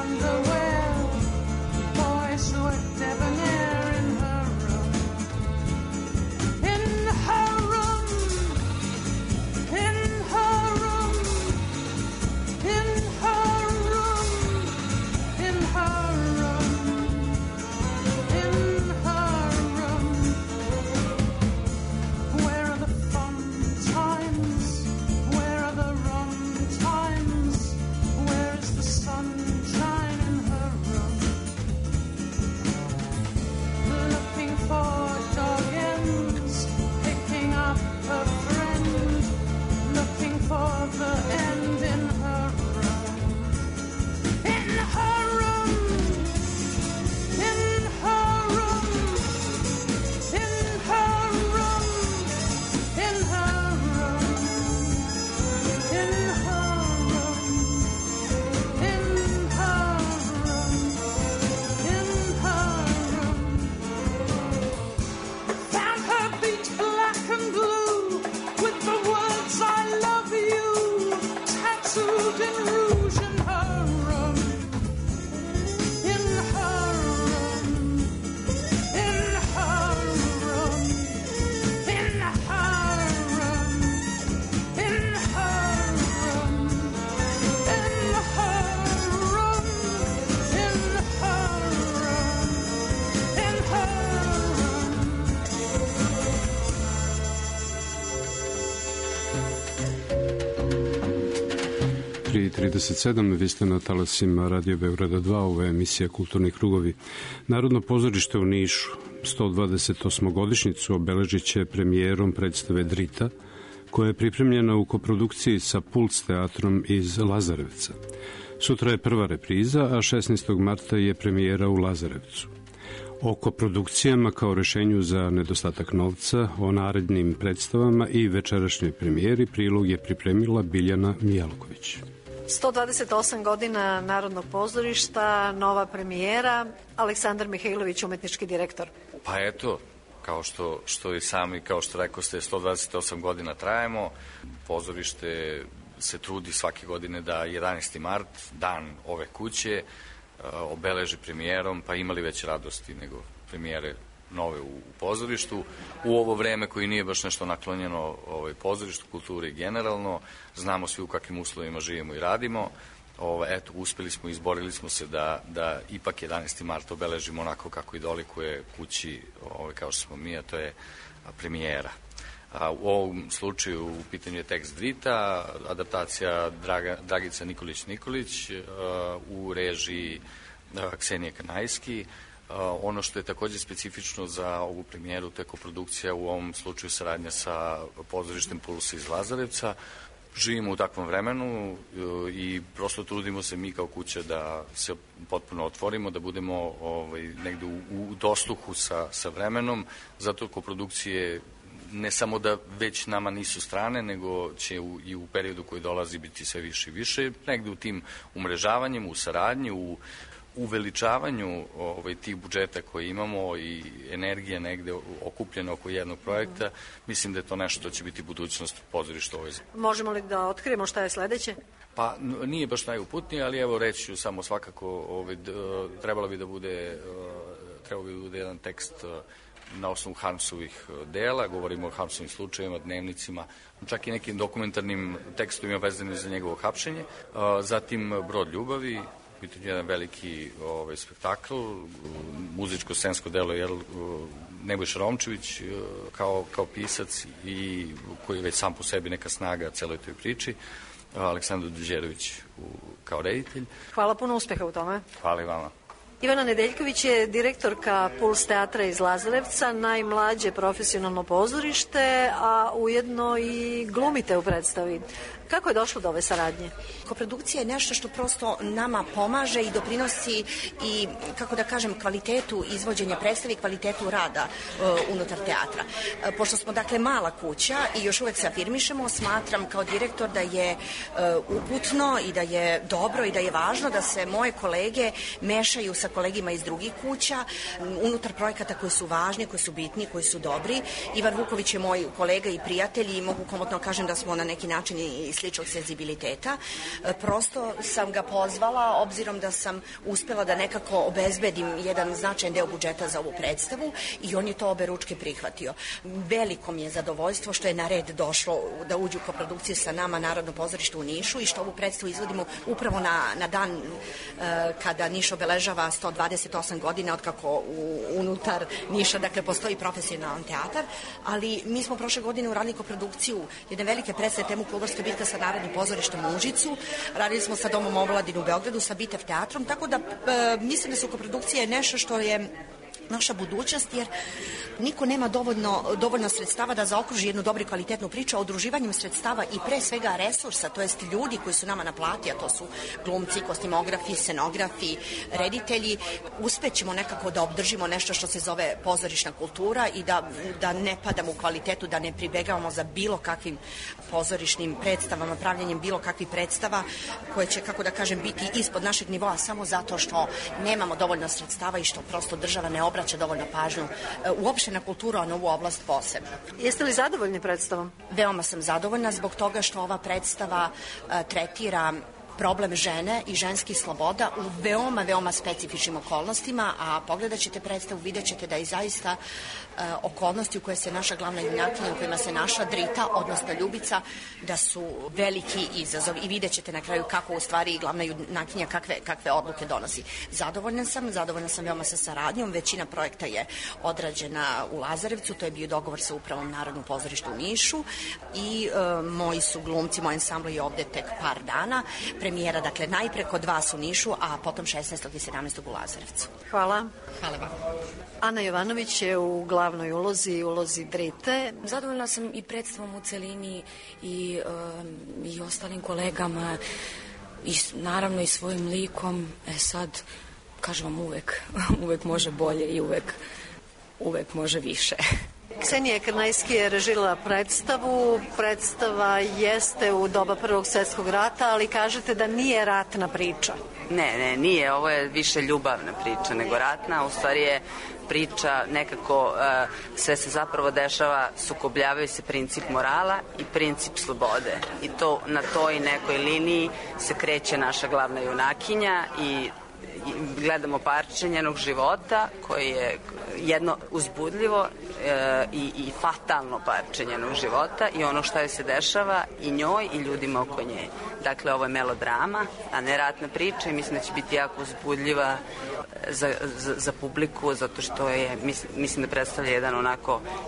[SPEAKER 14] Underwear
[SPEAKER 5] 3:37, vi ste na talasima Radio Beograda 2, ovo je emisija Kulturni krugovi. Narodno pozorište u Nišu 128. obeležit će premijerom predstave Drita, koja je pripremljena u koprodukciji sa Puls teatrom iz Lazarevca. Sutra je prva repriza, a 16. marta je premijera u Lazarevcu. O koprodukcijama kao rešenju za nedostatak novca, o narednim predstavama i večerašnjoj premijeri prilog je pripremila Biljana Mijalković.
[SPEAKER 18] 128 godina Narodnog pozorišta, nova premijera, Aleksandar Mihajlović, umetnički direktor.
[SPEAKER 19] Pa eto, kao što i sami, kao što rekao ste, 128 godina trajemo. Pozorište se trudi svake godine da 11. mart, dan ove kuće, obeleži premijerom, pa imali već radosti nego premijere nove u pozorištu. U ovo vreme koji nije baš nešto naklonjeno pozorištu, kulturi generalno, znamo svi u kakvim uslovima živimo i radimo. Eto, uspeli smo, izborili smo se da ipak 11. mart obeležimo onako kako i dolikuje kući, kao što smo mi, a to je premijera. U ovom slučaju u pitanju je tekst Drita, adaptacija Dragica Nikolić u režiji Ksenije Kanajski. Ono što je takođe specifično za ovu premijeru, to je koprodukcija, u ovom slučaju saradnja sa pozorištem Puls iz Lazarevca. Živimo u takvom vremenu i prosto trudimo se mi kao kuća da se potpuno otvorimo, da budemo negde u dosluhu sa vremenom, zato koprodukcije ne samo da već nama nisu strane, nego će i u periodu koji dolazi biti sve više i više, negde u tim umrežavanjem, u saradnji, u uveličavanju tih budžeta koje imamo i energija negde okupljena oko jednog projekta. Mislim da je to nešto što će biti budućnost pozorišta ovoj zemlji.
[SPEAKER 18] Možemo li da otkrijemo šta je sledeće?
[SPEAKER 19] Pa nije baš najuputnije, ali evo reći ću samo svakako, trebalo bi da bude jedan tekst na osnovu Harmsovih dela, govorimo o Harmsovim slučajevima, dnevnicima, čak i nekim dokumentarnim tekstovima vezanim za njegovo hapšenje. Zatim Brod ljubavi, pitanje jedan veliki spektakl, muzičko-scensko delo je Nebojša Romčević kao pisac i koji je već sam po sebi neka snaga celoj toj priči, Aleksandar Đeđerović kao reditelj.
[SPEAKER 18] Hvala, puno uspeha u tome.
[SPEAKER 19] Hvala i vama.
[SPEAKER 18] Ivana Nedeljković je direktorka Puls teatra iz Lazarevca, najmlađe profesionalno pozorište, a ujedno i glumite u predstavi. Kako je došlo do ove saradnje?
[SPEAKER 20] Koprodukcija je nešto što prosto nama pomaže i doprinosi i, kako da kažem, kvalitetu izvođenja predstave i kvalitetu rada unutar teatra. Pošto smo, dakle, mala kuća i još uvek se afirmišemo, smatram kao direktor da je uputno i da je dobro i da je važno da se moje kolege mešaju sa kolegima iz drugih kuća unutar projekata koji su važni, koji su bitni, koji su dobri. Ivan Vuković je moj kolega i prijatelj i mogu komotno kažem da smo na neki način i sličnog senzibiliteta. Prosto sam ga pozvala, obzirom da sam uspela da nekako obezbedim jedan značajan deo budžeta za ovu predstavu i on je to oberučke prihvatio. Veliko mi je zadovoljstvo što je na red došlo da uđu u koprodukciju sa nama Narodno pozorište u Nišu i što ovu predstavu izvodimo upravo na dan kada Niš obeležava 128 godina otkako unutar Niša, dakle, postoji profesionalan teatar, ali mi smo prošle godine uradili koprodukciju jedne velike predstave temu Klubarska bitka sa Narodnim pozorištem u Užicu, radili smo sa Domom omladine u Beogradu, sa Bitev teatrom, tako da mislim da su koprodukcije nešto što je naša budućnost, jer niko nema dovoljno sredstava da zaokruži jednu dobru i kvalitetnu priču, a udruživanjem sredstava i pre svega resursa, to jest ljudi koji su nama na plati, a to su glumci, kostimografi, scenografi, reditelji, uspećemo nekako da obdržimo nešto što se zove pozorišna kultura i da ne padamo u kvalitetu, da ne pribegavamo za bilo kakvim pozorišnim predstavama, pravljenjem bilo kakvih predstava koje će, kako da kažem, biti ispod našeg nivoa samo zato što nemamo dovoljno sredstava i što prosto država ne obraća dovoljno pažnju uopšte na kulturu, a na ovu oblast posebno.
[SPEAKER 18] Jeste li zadovoljni predstavom?
[SPEAKER 20] Veoma sam zadovoljna zbog toga što ova predstava tretira problem žene i ženskih sloboda u veoma specifičnim okolnostima, a pogledat ćete predstavu, vidjet ćete da je zaista okolnosti u koje se naša glavna junakinja, u kojima se naša Drita, odnosno Ljubica, da su veliki izazov i vidjet ćete na kraju kako u stvari glavna junakinja kakve odluke donosi. Zadovoljna sam veoma sa saradnjom, većina projekta je odrađena u Lazarevcu, to je bio dogovor sa upravom Narodnog pozorišta u Nišu i moji su glumci, moj ansambl je ovde tek par dana. premijera, dakle najpre kod vas u Nišu, a potom 16. i 17. u Lazarevcu.
[SPEAKER 18] Hvala.
[SPEAKER 20] Hvala vam.
[SPEAKER 18] Ana Jovanović je u glavnoj ulozi Brite.
[SPEAKER 4] Zadovoljna sam i predstavom u celini i ostalim kolegama i naravno i svojim likom. Sad, kažem vam, uvek može bolje i uvek može više.
[SPEAKER 18] Ksenija Krnajski je režirala predstavu. Predstava jeste u doba Prvog svjetskog rata, ali kažete da nije ratna priča.
[SPEAKER 21] Ne, nije. Ovo je više ljubavna priča nego ratna. U stvari je priča nekako, sve se zapravo dešava, sukobljavaju se princip morala i princip slobode. I to na toj nekoj liniji se kreće naša glavna junakinja i gledamo parče njenog života koji je jedno uzbudljivo i fatalno parče njenog života i ono što joj se dešava i njoj i ljudima oko nje. Dakle, ovo je melodrama, a ne ratna priča i mislim da će biti jako uzbudljiva za publiku, zato što je, mislim da predstavlja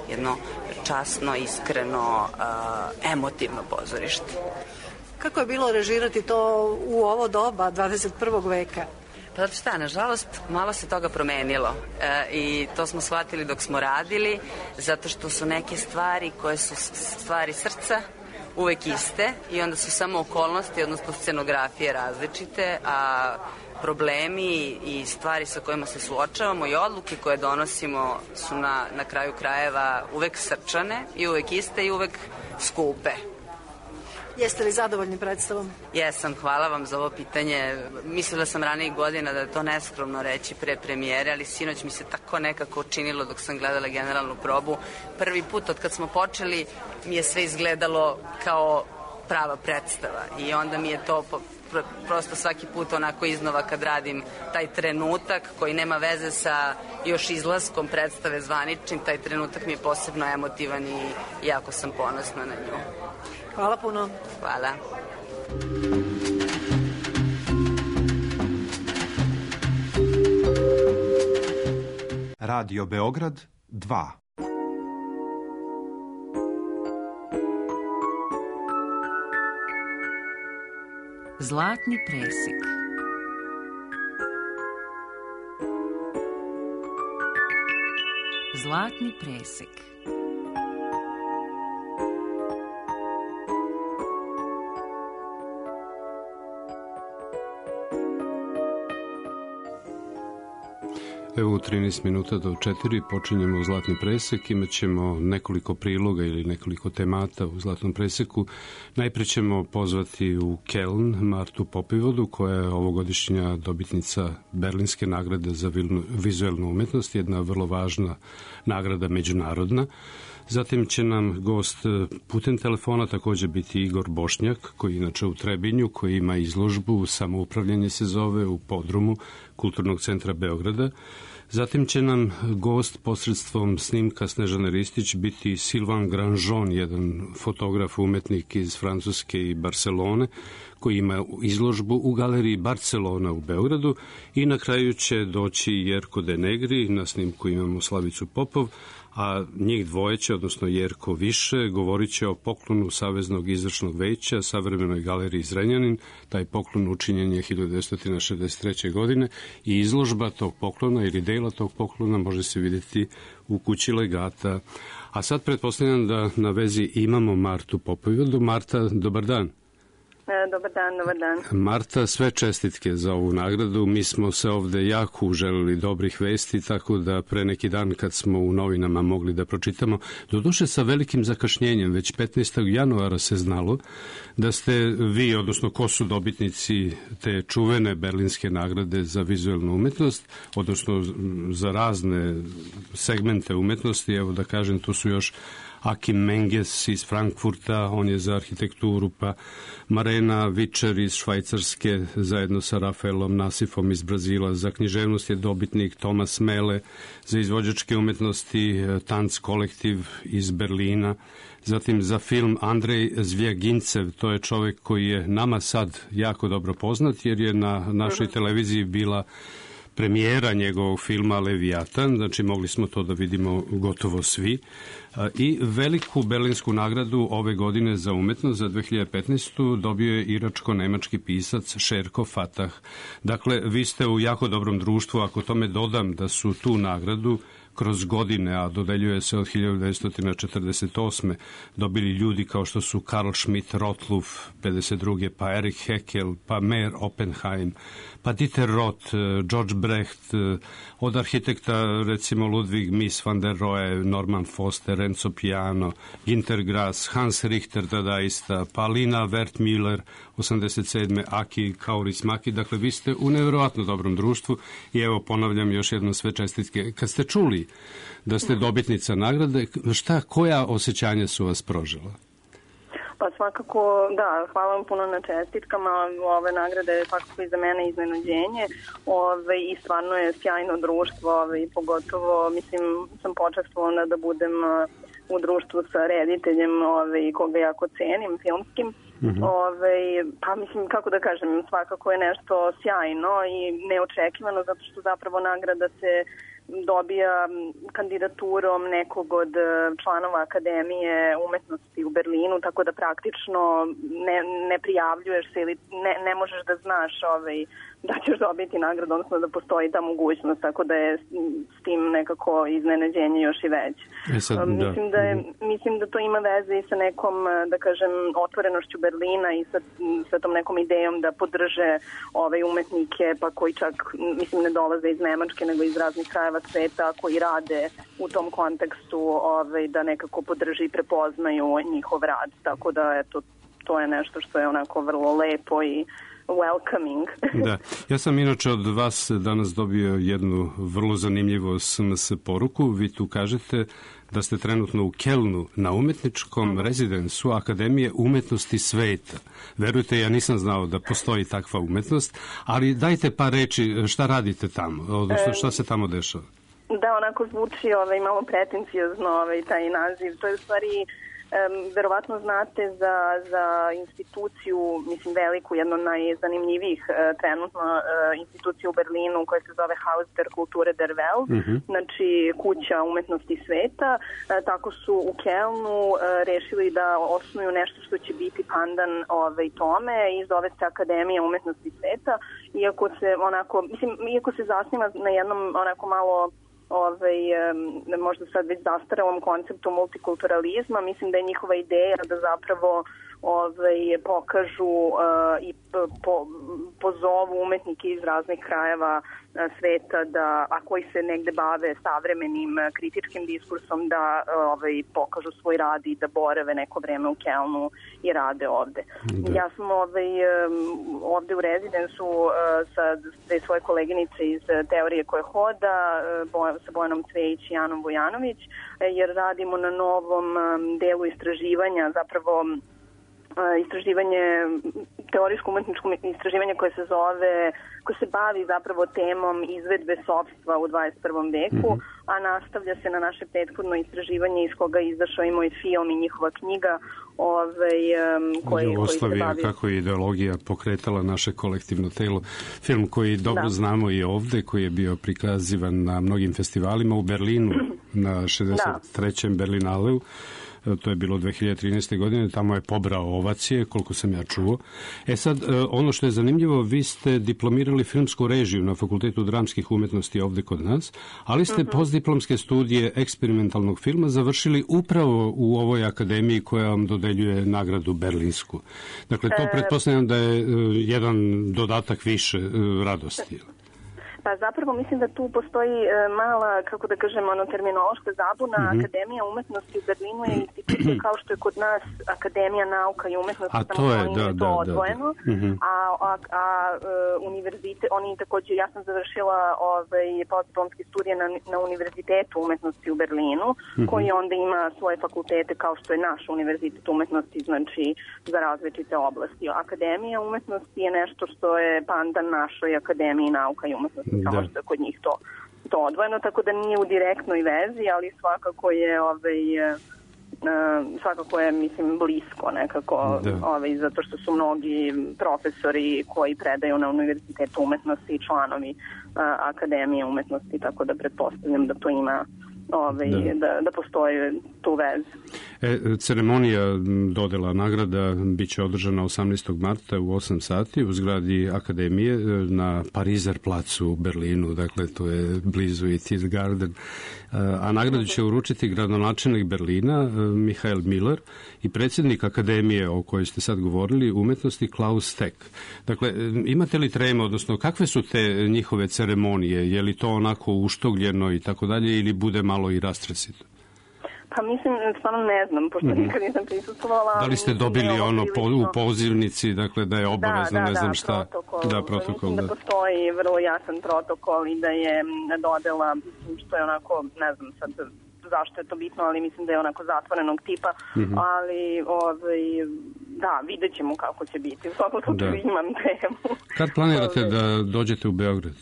[SPEAKER 21] jedno časno, iskreno, emotivno pozorište.
[SPEAKER 18] Kako je bilo režirati to u ovo doba 21. veka?
[SPEAKER 21] Pa zato šta, nažalost, malo se toga promenilo i to smo shvatili dok smo radili, zato što su neke stvari koje su stvari srca uvek iste i onda su samo okolnosti, odnosno scenografije različite, a problemi i stvari sa kojima se suočavamo i odluke koje donosimo su na kraju krajeva uvek srčane i uvek iste i uvek skupe.
[SPEAKER 18] Jeste li zadovoljni predstavom?
[SPEAKER 21] Jesam, hvala vam za ovo pitanje. Mislila sam ranijih godina da je to neskromno reći pre premijere, ali sinoć mi se tako nekako učinilo dok sam gledala generalnu probu. Prvi put od kad smo počeli mi je sve izgledalo kao prava predstava i onda mi je to prosto svaki put onako iznova kad radim taj trenutak koji nema veze sa još izlaskom predstave zvaničnim, taj trenutak mi je posebno emotivan i jako sam ponosna na nju.
[SPEAKER 18] Hvala puno.
[SPEAKER 21] Hvala.
[SPEAKER 2] Radio Beograd 2.
[SPEAKER 4] Zlatni presek. Zlatni presek.
[SPEAKER 5] Evo u 13 minuta do 4 počinjemo Zlatni presek, imat ćemo nekoliko priloga ili nekoliko temata u Zlatnom preseku. Najpre ćemo pozvati u Keln Martu Popivodu, koja je ovogodišnja dobitnica Berlinske nagrade za vizuelnu umetnost, jedna vrlo važna nagrada međunarodna. Zatim će nam gost putem telefona također biti Igor Bošnjak, koji inače u Trebinju, koji ima izložbu Samoupravljanje se zove u podrumu Kulturnog centra Beograda. Zatim će nam gost posredstvom snimka Snežane Ristić biti Sylvain Grandjean, jedan fotograf, umetnik iz Francuske i Barcelone, koji ima izložbu u galeriji Barcelona u Beogradu. I na kraju će doći Jerko de Negri, na snimku imamo Slavicu Popov, a njih dvoje će, odnosno Jerko više, govorit će o poklonu Saveznog izvršnog veća Savremenoj galeriji Zrenjanin. Taj poklon učinjen je 1963. godine i izložba tog poklona ili dela tog poklona može se vidjeti u kući legata. A sad pretpostavljam da na vezi imamo Martu Popovidu. Marta, dobar dan.
[SPEAKER 22] Dobar dan.
[SPEAKER 5] Marta, sve čestitke za ovu nagradu. Mi smo se ovde jako uželili dobrih vesti, tako da pre neki dan kad smo u novinama mogli da pročitamo, doduše sa velikim zakašnjenjem, već 15. januara se znalo da ste vi, odnosno ko su dobitnici te čuvene Berlinske nagrade za vizuelnu umetnost, odnosno za razne segmente umetnosti. Evo da kažem, tu su još Akim Menges iz Frankfurta, on je za arhitekturu, pa Marena Vičer iz Švajcarske zajedno sa Rafaelom Nasifom iz Brazila. Za književnost je dobitnik Tomas Mele, za izvođačke umetnosti Tanc kolektiv iz Berlina. Zatim za film Andrej Zvjagincev, to je čovjek koji je nama sad jako dobro poznat jer je na našoj televiziji bila premijera njegovog filma Leviatan, znači mogli smo to da vidimo gotovo svi, i veliku berlinsku nagradu ove godine za umetnost za 2015. dobio je iračko-nemački pisac Šerko Fatah. Dakle, vi ste u jako dobrom društvu, ako tome dodam da su tu nagradu kroz godine, a dodeljuje se od 1948. dobili ljudi kao što su Karl Schmidt-Rottluff 52. pa Erich Heckel, pa Meyer Oppenheim, pa Dieter Roth, George Brecht, od arhitekta recimo Ludwig Mies van der Rohe, Norman Foster, Renzo Piano, Günter Grass, Hans Richter dadaista, pa Lina Wertmüller 87. Aki Kaurismäki. Dakle, vi ste u nevjerovatno dobrom društvu i evo ponavljam još jednom sve čestitke. Kad ste čuli da ste dobitnica nagrade, koja osjećanja su vas prožela?
[SPEAKER 1] Pa svakako, da, hvala vam puno na čestitkama. Ove nagrade je svakako i za mene iznenađenje i stvarno je sjajno društvo i pogotovo, mislim, sam počastvovana da budem u društvu sa rediteljem koga jako cenim, filmskim. Pa mislim, kako da kažem, svakako je nešto sjajno i neočekivano zato što zapravo nagrada se dobija kandidaturom nekog od članova Akademije umetnosti u Berlinu, tako da praktično ne prijavljuješ se ili ne možeš da znaš da ćeš dobiti nagradu, odnosno da postoji ta mogućnost, tako da je s tim nekako iznenađenje još i veće. Mislim da to ima veze i sa nekom, da kažem, otvorenošću Berlina i sa tom nekom idejom da podrže umetnike, pa koji čak, mislim, ne dolaze iz Nemačke, nego iz raznih krajeva sveta, koji rade u tom kontekstu da nekako podrži i prepoznaju njihov rad. Tako da, eto, to je nešto što je onako vrlo lepo i welcoming.
[SPEAKER 5] Da, ja sam inače od vas danas dobio jednu vrlo zanimljivu SMS poruku. Vi tu kažete da ste trenutno u Kelnu na umetničkom rezidensu Akademije umetnosti sveta. Verujte, ja nisam znao da postoji takva umetnost, ali dajte par reči šta radite tamo, odnosno šta se tamo dešava.
[SPEAKER 1] Da, onako zvuči malo pretencijozno taj naziv. To je u stvari verovatno znate za instituciju, mislim veliku, jedno najzanimljivijih trenutno institucija u Berlinu koja se zove Haus der Kulture der Welt, znači kuća umetnosti sveta. Tako su u Kelnu rešili da osnuju nešto što će biti pandan tome i zove se Akademija umetnosti sveta, iako se zasniva na jednom onako malo možda sad već zastarelom konceptu multikulturalizma. Mislim da je njihova ideja da zapravo pokažu i pozovu umetnike iz raznih krajeva sveta, a koji se negde bave savremenim kritičkim diskursom, da pokažu svoj rad i da borave neko vreme u Kelnu i rade ovde. Ja sam ovde u rezidensu sa dve svoje koleginice iz teorije koje hoda, sa Bojanom Cvejić i Anom Vujanović, jer radimo na novom delu istraživanja, zapravo istraživanje, teorijsko-umetničko istraživanje koje se bavi zapravo temom izvedbe sopstva u 21. veku, a nastavlja se na naše prethodno istraživanje iz koga je izašao i moj film i njihova knjiga
[SPEAKER 5] Jugoslavija, kako je ideologija pokretala naše kolektivno telo. Film koji dobro znamo i ovde, koji je bio prikazivan na mnogim festivalima u Berlinu, na 63. Berlinaleu. To je bilo 2013. godine, tamo je pobrao ovacije, koliko sam ja čuo. Sad, ono što je zanimljivo, vi ste diplomirali filmsku režiju na Fakultetu dramskih umetnosti ovde kod nas, ali ste postdiplomske studije eksperimentalnog filma završili upravo u ovoj akademiji koja vam dodeljuje nagradu berlinsku. Dakle, to pretpostavljam da je jedan dodatak više radosti.
[SPEAKER 1] Pa zapravo mislim da tu postoji mala, kako da kažem, terminološka zabuna. Akademija umetnosti u Berlinu je institucija kao što je kod nas Akademija nauka i umetnosti, samo oni to odvojeno. A univerzitet, oni takođe, ja sam završila postdiplomske studije na Univerzitetu umetnosti u Berlinu, koji onda ima svoje fakultete kao što je naš Univerzitet umetnosti, znači za različite oblasti. Akademija umetnosti je nešto što je pandan našoj Akademiji nauka i umetnosti. Samo što je kod njih to odvojeno, tako da nije u direktnoj vezi, ali svakako je svakako je, mislim, blisko nekako, zato što su mnogi profesori koji predaju na Univerzitetu umetnosti i članovi Akademije umetnosti, tako da pretpostavljam da to ima da postoji tu vezu.
[SPEAKER 5] Ceremonija dodela nagrada biće održana 18. marta u 8 sati u zgradi Akademije na Parizer placu u Berlinu, dakle to je blizu i Tiergarten. A nagradu će uručiti gradonačelnik Berlina Michael Miller i predsjednik Akademije o kojoj ste sad govorili umetnosti Klaus Steck. Dakle, imate li treme, odnosno kakve su te njihove ceremonije? Je li to onako uštogljeno i tako dalje ili bude malo i rastresito?
[SPEAKER 1] Pa mislim, stvarno ne znam, pošto nikad nisam prisustvovala.
[SPEAKER 5] Da li ste dobili u pozivnici, dakle da je obavezno, ne znam šta? Da, protokol.
[SPEAKER 1] Mislim da postoji vrlo jasan protokol i da je dodela, što je onako, ne znam sad zašto je to bitno, ali mislim da je onako zatvorenog tipa, ali da, vidjet ćemo kako će biti. U svakom slučaju imam temu.
[SPEAKER 5] Kad planirate da dođete u Beograd?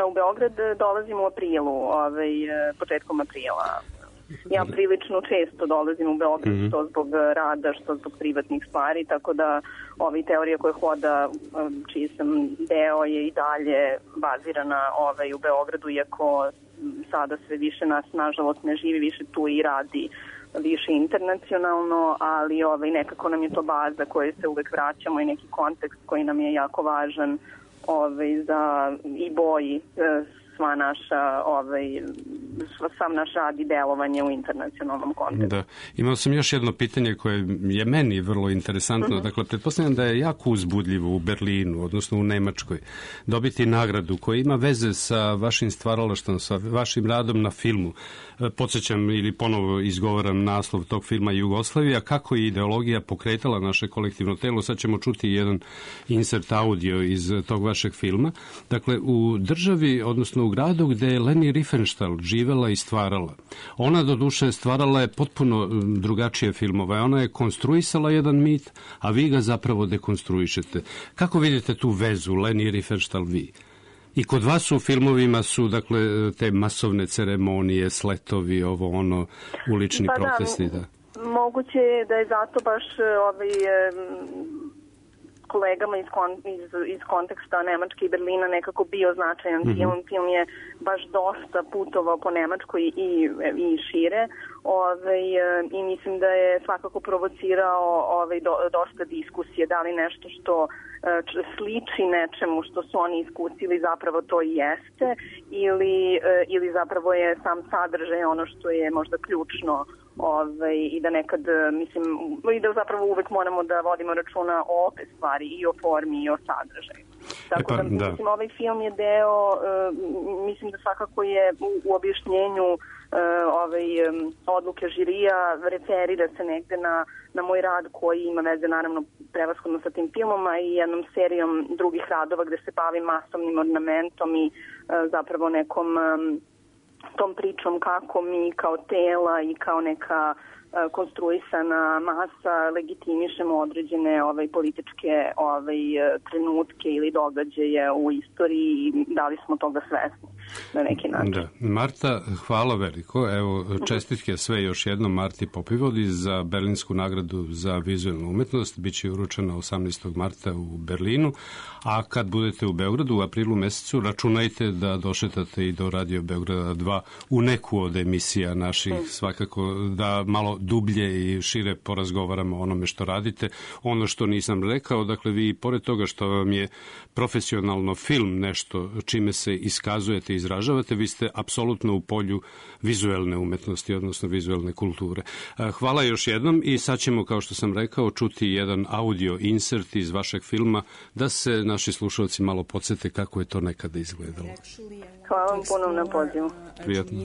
[SPEAKER 1] U Beograd dolazim u aprilu, početkom aprila. Ja prilično često dolazim u Beograd, što zbog rada, što zbog privatnih stvari, tako da teorija koja hoda, čiji sam deo, je i dalje bazirana u Beogradu, iako sada sve više nas, nažalost, ne živi više tu i radi više internacionalno, ali nekako nam je to baza koje se uvek vraćamo i neki kontekst koji nam je jako važan za i boji sva naša, sam naš rad i delovanje u internacionalnom kontekstu.
[SPEAKER 5] Da. Imao sam još jedno pitanje koje je meni vrlo interesantno. Dakle, pretpostavljam da je jako uzbudljivo u Berlinu, odnosno u Nemačkoj, dobiti nagradu koja ima veze sa vašim stvaralaštvom, sa vašim radom na filmu. Podsjećam ili ponovo izgovaram naslov tog filma Jugoslavija, kako je ideologija pokretala naše kolektivno telo. Sad ćemo čuti jedan insert audio iz tog vašeg filma. Dakle, u državi, odnosno u gradu gde je Leni Riefenstahl živela i stvarala. Ona doduše stvarala je potpuno drugačije filmove. Ona je konstruisala jedan mit, a vi ga zapravo dekonstruišete. Kako vidite tu vezu Leni Riefenstahl vi? I kod vas u filmovima su, dakle, te masovne ceremonije, sletovi, ulični protesti. Da.
[SPEAKER 1] Moguće je da je zato baš kolegama iz konteksta Nemačke i Berlina nekako bio značajan film. Film je baš dosta putovao po Nemačkoj i šire i mislim da je svakako provocirao dosta diskusije, da li nešto što sliči nečemu što su oni iskusili zapravo to i jeste ili zapravo je sam sadržaj ono što je možda ključno i da nekad, mislim, i da zapravo uvek moramo da vodimo računa o obe stvari, i o formi i o sadržaju. Tako da, mislim, ovaj film je deo, mislim da svakako je u objašnjenju odluke žirija, referira se negde na moj rad koji ima veze naravno prevashodno sa tim filmom, a i jednom serijom drugih radova gde se bavim masovnim ornamentom i zapravo nekom tom pričom kako mi kao tela i kao neka konstruisana masa legitimišemo određene političke trenutke ili događaje u istoriji i da li smo toga svesni na neki način.
[SPEAKER 5] Da. Marta, hvala veliko. Evo, čestitke sve još jednom Marti Popivodi za Berlinsku nagradu za vizualnu umetnost. Biće uručena 18. marta u Berlinu, a kad budete u Beogradu u aprilu mesecu, računajte da došetate i do Radio Beograda 2 u neku od emisija naših, svakako da malo dublje i šire porazgovaramo o onome što radite. Ono što nisam rekao, dakle vi pored toga što vam je profesionalno film nešto čime se iskazujete i izražavate, vi ste apsolutno u polju vizuelne umetnosti, odnosno vizuelne kulture. Hvala još jednom i sad ćemo, kao što sam rekao, čuti jedan audio insert iz vašeg filma da se naši slušalci malo podsjete kako je to nekada izgledalo.
[SPEAKER 1] Hvala vam puno na pozivu.
[SPEAKER 5] Prijatno.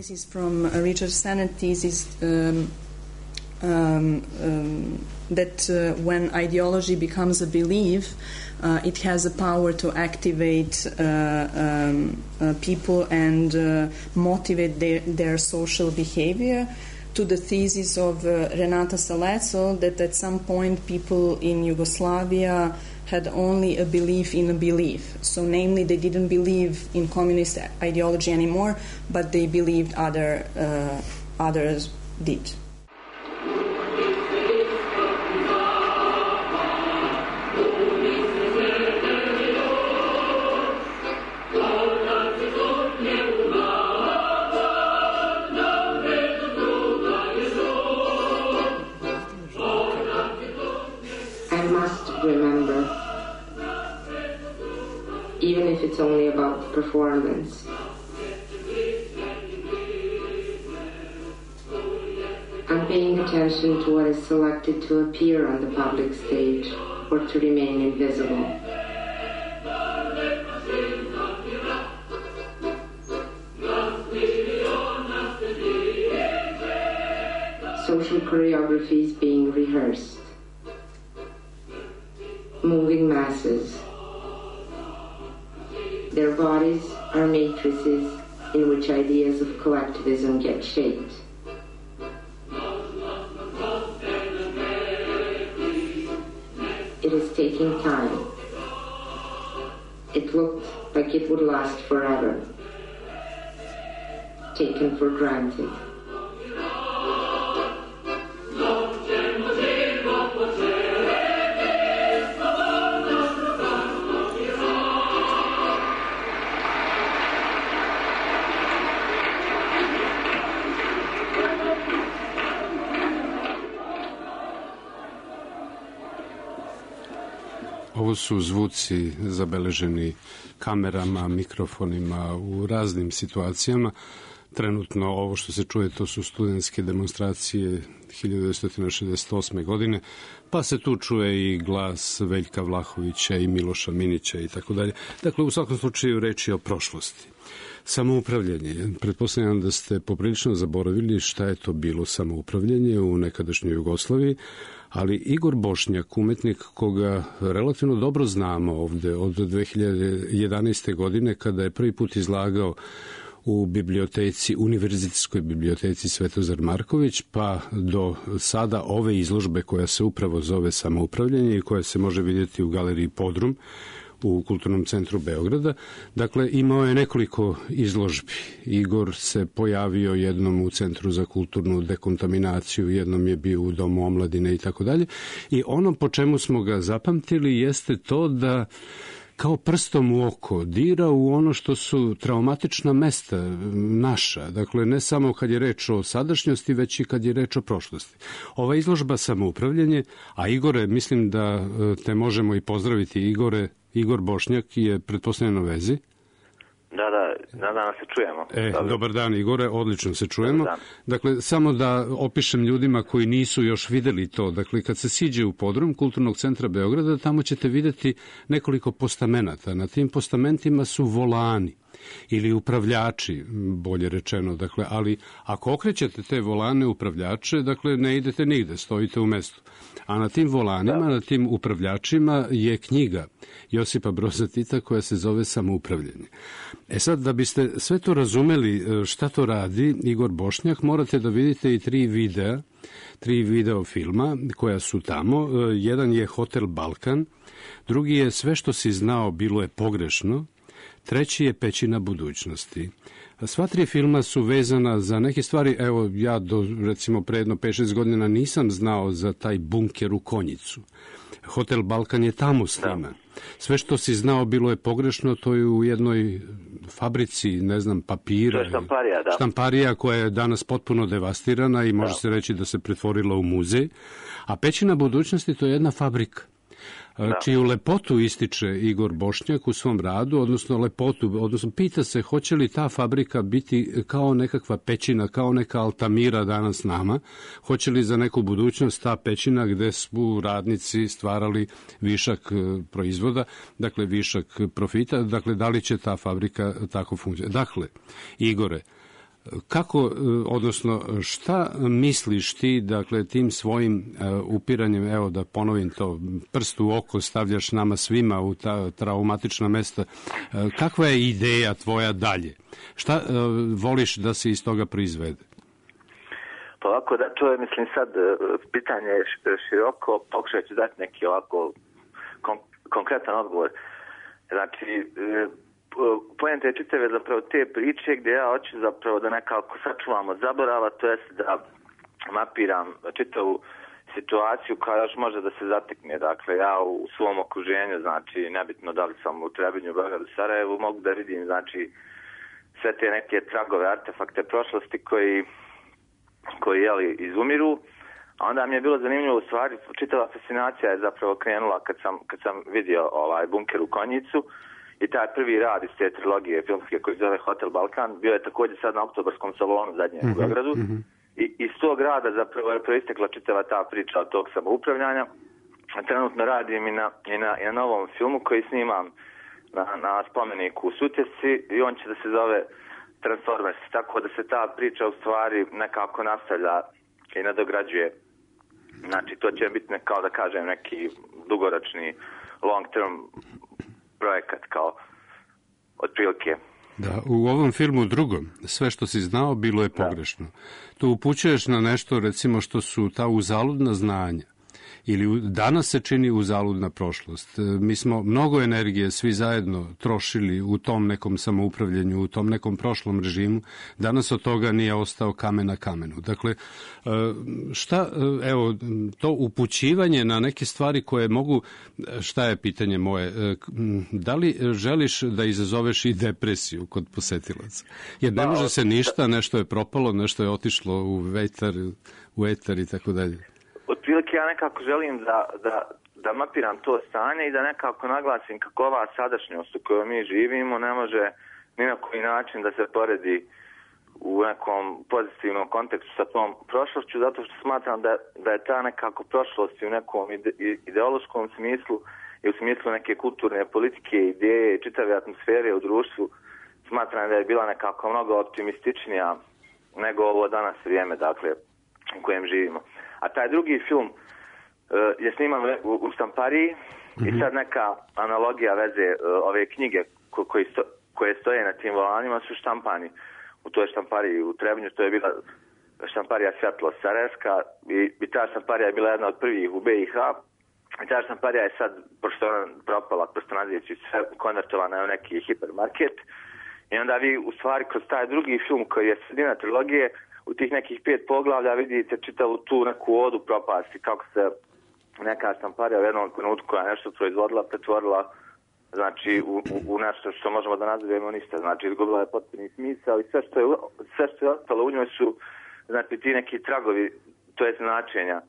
[SPEAKER 3] Richard Sennett thesis that when ideology becomes a belief, it has a power to activate people and motivate their social behavior. To the thesis of Renata Saleco that at some point people in Yugoslavia had only a belief in a belief. So namely they didn't believe in communist ideology anymore, but they believed others did.
[SPEAKER 7] must remember, even if it's only about the performance. I'm paying attention to what is selected to appear on the public stage or to remain invisible. Social choreographies being rehearsed. Moving masses. Their bodies are matrices in which ideas of collectivism get shaped. It is taking time. It looked like it would last forever. Taken for granted.
[SPEAKER 5] Ovo su zvuci zabeleženi kamerama, mikrofonima u raznim situacijama. Trenutno ovo što se čuje to su studentske demonstracije 1968. godine, pa se tu čuje i glas Veljka Vlahovića i Miloša Minića i tako dalje. Dakle, u svakom slučaju reč je o prošlosti. Samoupravljanje. Pretpostavljam da ste poprilično zaboravili šta je to bilo samoupravljanje u nekadašnjoj Jugoslaviji, ali Igor Bošnjak, umetnik koga relativno dobro znamo ovde od 2011. godine kada je prvi put izlagao u biblioteci, univerzitetskoj biblioteci Svetozar Marković, pa do sada ove izložbe koja se upravo zove Samoupravljanje i koja se može vidjeti u galeriji Podrum u Kulturnom centru Beograda. Dakle, imao je nekoliko izložbi. Igor se pojavio jednom u Centru za kulturnu dekontaminaciju, jednom je bio u Domu omladine i tako dalje. I ono po čemu smo ga zapamtili jeste to da kao prstom u oko dira u ono što su traumatična mesta naša. Dakle, ne samo kad je reč o sadašnjosti, već i kad je reč o prošlosti. Ova izložba Samoupravljanje, a Igore, mislim da te možemo i pozdraviti, Igor Bošnjak je pretpostavljeno na vezi.
[SPEAKER 8] Da se čujemo.
[SPEAKER 5] Dobar dan, Igore, odlično se čujemo. Dakle, samo da opišem ljudima koji nisu još videli to. Dakle, kad se siđe u podrum Kulturnog centra Beograda, tamo ćete videti nekoliko postamenata. Na tim postamentima su volani ili upravljači, bolje rečeno. Dakle, ali ako okrećete te volane upravljače, dakle, ne idete nigde, stojite u mestu. A na tim volanima, na tim upravljačima je knjiga Josipa Broza Tita koja se zove Samoupravljanje. E sad, da biste sve to razumeli šta to radi Igor Bošnjak, morate da vidite i tri video filma koja su tamo. Jedan je Hotel Balkan, drugi je Sve što si znao bilo je pogrešno, treći je Pećina budućnosti. Sva tri filma su vezana za neke stvari. Evo, ja recimo pre jedno 5-6 godina nisam znao za taj bunker u Konjicu. Hotel Balkan je tamo sniman. Sve što si znao bilo je pogrešno, to je u jednoj fabrici, ne znam, papira.
[SPEAKER 8] To je štamparija, da.
[SPEAKER 5] Štamparija koja je danas potpuno devastirana i može se reći da se pretvorila u muzej. A Pećina budućnosti to je jedna fabrika. Čiju lepotu ističe Igor Bošnjak u svom radu, odnosno pita se hoće li ta fabrika biti kao nekakva pećina, kao neka Altamira danas nama, hoće li za neku budućnost ta pećina gde su radnici stvarali višak proizvoda, dakle višak profita, dakle da li će ta fabrika tako funkcionirati. Dakle, Igore, kako, odnosno šta misliš ti, dakle, tim svojim upiranjem, evo da ponovim to, prst u oko stavljaš nama svima u ta traumatična mesta, kakva je ideja tvoja dalje? Šta voliš da se iz toga proizvede?
[SPEAKER 8] Pa ovako, da, to je, mislim, sad pitanje široko, pokušat ću dati neki ovako konkretan odgovor. Znači, poenta je čitave zapravo te priče gdje ja hoću zapravo da nekako sačuvam od zaborava, to jest da mapiram čitavu situaciju koja još može da se zatekne. Dakle, ja u svom okruženju, znači, nebitno da li sam u Trebinju, Beogradu, Sarajevu, mogu da vidim, znači, sve te neke tragove, artefakte prošlosti koji jeli, izumiru, A onda mi je bilo zanimljivo, u stvari, čitava fascinacija je zapravo krenula kad sam vidio Bunker u Konjicu i taj prvi rad iz te trilogije filmske koji zove Hotel Balkan, bio je također sad na Oktobarskom salonu zadnje u Beogradu. I iz tog rada zapravo je proistekla čitava ta priča od tog samoupravljanja. Trenutno radim i na novom filmu koji snimam na spomeniku u Sutjesci i on će da se zove Transformers, tako da se ta priča u stvari nekako nastavlja i nadograđuje. Znači, to će biti kao da kažem neki dugoročni long term projekat kao otprilike.
[SPEAKER 5] Da, u ovom filmu drugom, sve što si znao bilo je pogrešno. Tu upućuješ na nešto, recimo, što su ta uzaludna znanja. Ili danas se čini uzaludna prošlost. Mi smo mnogo energije svi zajedno trošili u tom nekom samoupravljanju, u tom nekom prošlom režimu. Danas od toga nije ostao kamen na kamenu. Dakle, to upućivanje na neke stvari koje mogu, šta je pitanje moje, da li želiš da izazoveš i depresiju kod posetilaca? Jer ne može se ništa, nešto je propalo, nešto je otišlo u etar i tako dalje.
[SPEAKER 8] Otprilike ja nekako želim da mapiram to stanje i da nekako naglasim kako ova sadašnjost u kojoj mi živimo ne može ni na koji način da se poredi u nekom pozitivnom kontekstu sa tom prošlošću, zato što smatram da je ta nekako prošlost u nekom ideološkom smislu i u smislu neke kulturne politike, ideje i čitave atmosfere u društvu, smatram da je bila nekako mnogo optimističnija nego ovo danas vrijeme, dakle, u kojem živimo. A taj drugi film je sniman u štampariji i sad neka analogija veze ove knjige koje stoje na tim volanima su štampani u toj štampariji u Trebinju, to je bila štamparija Svjetlo Sarajevska i ta štamparija je bila jedna od prvih u BiH i ta štamparija je sad, pošto ona propala kroz tranziciju, sve konvertovana u neki hipermarket i onda vi u stvari kroz taj drugi film koji je sredina trilogije u tih nekih 5 poglavlja vidite čitavu tu neku odu propasti, kako se neka štamparija u jednom trenutku koja je nešto proizvodila, pretvorila znači u nešto što možemo da nazivamo ništa, znači izgubila je potpuni smisao i sve što je ostalo u njoj su znači ti neki tragovi, to je značenja,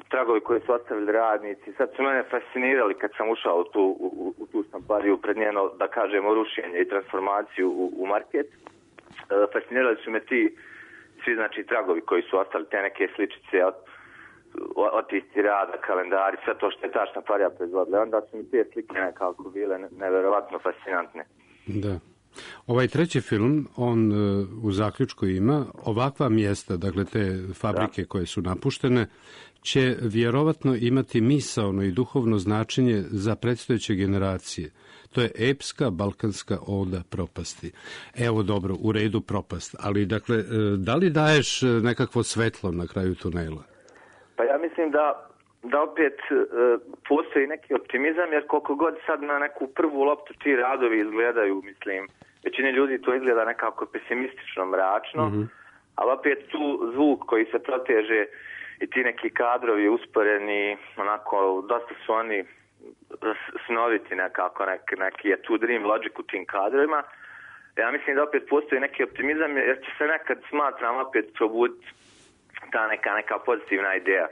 [SPEAKER 8] tragovi koje su ostavili radnici. Sad su mene fascinirali kad sam ušao u tu štampariju pred njeno, da kažemo, rušenje i transformaciju u market. Fascinirali su me ti svi znači tragovi koji su ostali, te neke sličice, otisci rada, kalendari, sve to što je ta štamparija proizvodila. Onda su mi te slike nekako bile neverovatno fascinantne.
[SPEAKER 5] Da. Ovaj treći film, on u zaključku ima ovakva mjesta, dakle te fabrike koje su napuštene, će vjerovatno imati misaono i duhovno značenje za predstojeće generacije. To je epska balkanska oda propasti. Evo dobro, u redu propast, ali dakle, da li daješ nekakvo svetlo na kraju tunela?
[SPEAKER 8] Pa ja mislim da opet postoji neki optimizam, jer koliko god sad na neku prvu loptu ti radovi izgledaju, mislim, većini ljudi to izgleda nekako pesimistično, mračno, ali opet tu zvuk koji se proteže i ti neki kadrovi usporeni, onako, dosta su oni snoviti nekako, neki je tu dream logic u tim kadrovima. Ja mislim da opet postoji neki optimizam, jer će se nekad, smatram, opet probuditi ta neka pozitivna ideja.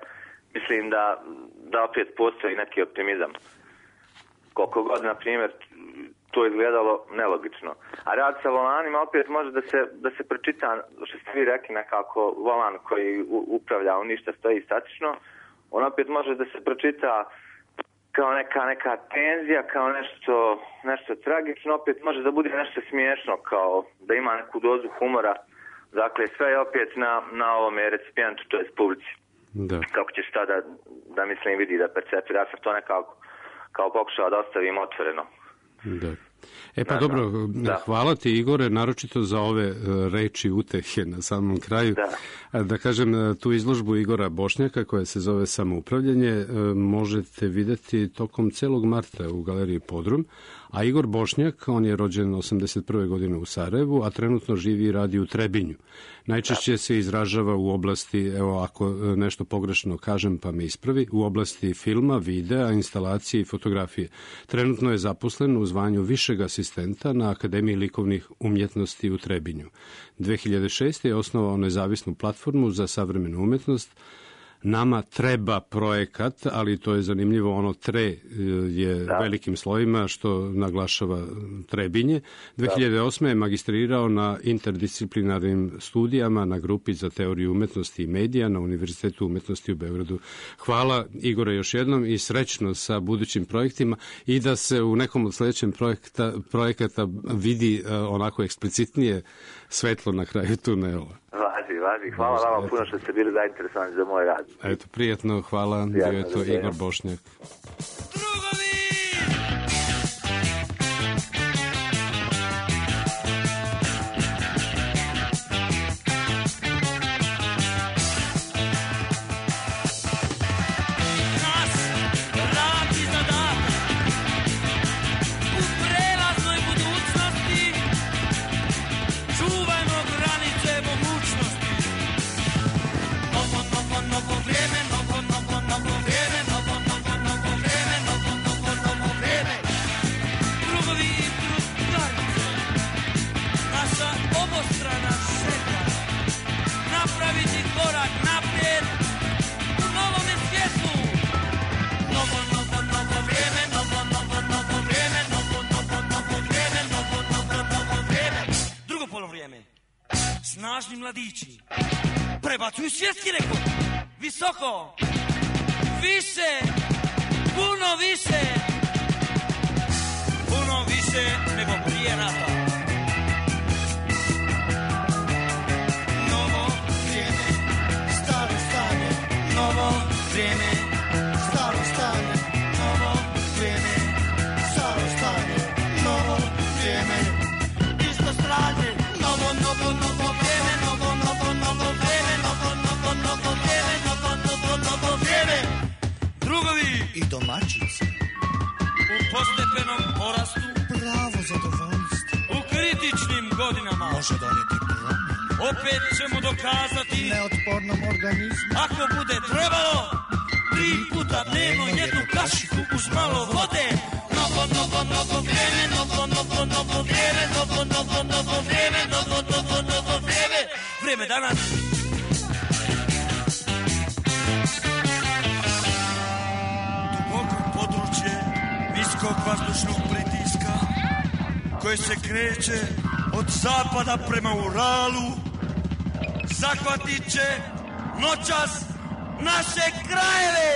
[SPEAKER 8] Mislim da opet postoji neki optimizam. Koliko god, na primjer, to izgledalo nelogično. A rad sa volanima opet može da se pročita, što ste vi rekli, nekako volan koji upravlja u ništa stoji statično, on opet može da se pročita kao neka tenzija, kao nešto tragično, opet može da bude nešto smiješno, kao da ima neku dozu humora. Dakle, sve je opet na ovome recipijentu, to je publici.
[SPEAKER 5] Da.
[SPEAKER 8] Kako ćeš tada da mislim vidi, da percepira. Ja sam to nekako kao pokušao da ostavim otvoreno.
[SPEAKER 5] Da. Dobro, hvala ti, Igore, naročito za ove reči utehe na samom kraju. Da kažem, tu izložbu Igora Bošnjaka koja se zove Samoupravljanje možete vidjeti tokom celog marta u galeriji Podrum, a Igor Bošnjak, on je rođen 81. godine u Sarajevu, a trenutno živi i radi u Trebinju. Najčešće se izražava u oblasti, evo ako nešto pogrešno kažem pa me ispravi, u oblasti filma, videa, instalacije i fotografije. Trenutno je zaposlen u zvanju višeg asistenta na Akademiji likovnih umjetnosti u Trebinju. 2006. je osnovao nezavisnu platformu za savremenu umjetnost nama treba projekat, ali to je zanimljivo, ono tre je velikim slovima, što naglašava Trebinje. 2008. je magistrirao na interdisciplinarnim studijama na grupi za teoriju umetnosti i medija na Univerzitetu umetnosti u Beogradu. Hvala Igore još jednom i srećno sa budućim projektima i da se u nekom od sledećem projekata vidi onako eksplicitnije svetlo na kraju tunela.
[SPEAKER 8] Važi. Hvala vama puno što ste bili zainteresovani za moj rad.
[SPEAKER 5] Eto, prijatno, hvala. Bio je to Igor Bošnjak.
[SPEAKER 6] Snažni mladići prebacuju svjetski rekord visoko, više, puno više nego prije rata. Novo vrijeme, staro stanje, novo vrijeme, staro stanje, novo vrijeme, staro stanje, novo vrijeme, isto strane, novo vrijeme, novo vrijeme. Drugovi i domaćice u postepenom porastu, pravo zadovoljstvo u kritičnim godinama može donijeti promjenu. Opet ćemo dokazati neotpornom organizmu, ako bude trebalo, 3 puta dnevno jednu kašiku uz malo vode. Novo vrijeme, novo vrijeme, novo vrijeme, vrijeme danas. Duboko područje niskog vazdušnog pritiska koje se kreće od zapada prema Uralu zahvatit će noćas naše krajeve.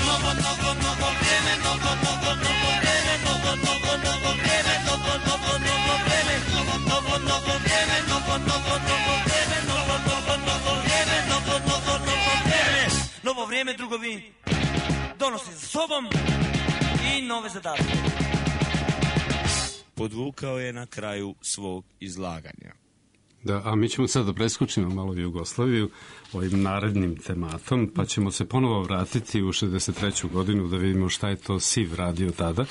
[SPEAKER 6] Novo vrijeme, novo vrijeme, novo vrijeme, novo vrijeme, novo vrijeme, novo vrijeme, drugovi, donosi za sobom i nove zadatke.
[SPEAKER 9] Podvukao je na kraju svog izlaganja.
[SPEAKER 5] Da, a mi ćemo sad da preskočimo malo Jugoslaviju ovim narednim tematom, pa ćemo se ponovo vratiti u 63. godinu da vidimo šta je to SIV radio tada.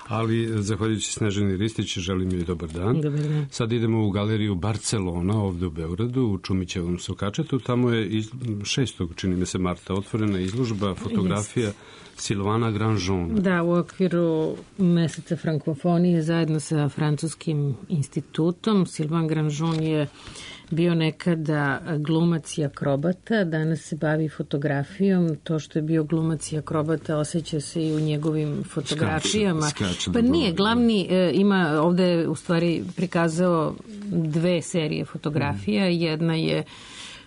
[SPEAKER 5] Ali, zahvaljujući Snežani Ristić, želim joj dobar dan.
[SPEAKER 23] Dobar dan.
[SPEAKER 5] Sad idemo u galeriju Barcelona, ovde u Beogradu, u Čumićevom Sokačetu. Tamo je 6. čini mi se marta otvorena izložba fotografija Silvana Grandjean.
[SPEAKER 23] Da, u okviru meseca frankofonije zajedno sa Francuskim institutom. Silvan Grandjean je bio nekada glumac i akrobata, danas se bavi fotografijom. To što je bio glumac i akrobata osjeća se i u njegovim fotografijama. Pa nije, glavni ima ovde u stvari prikazao 2 serije fotografija. Jedna je,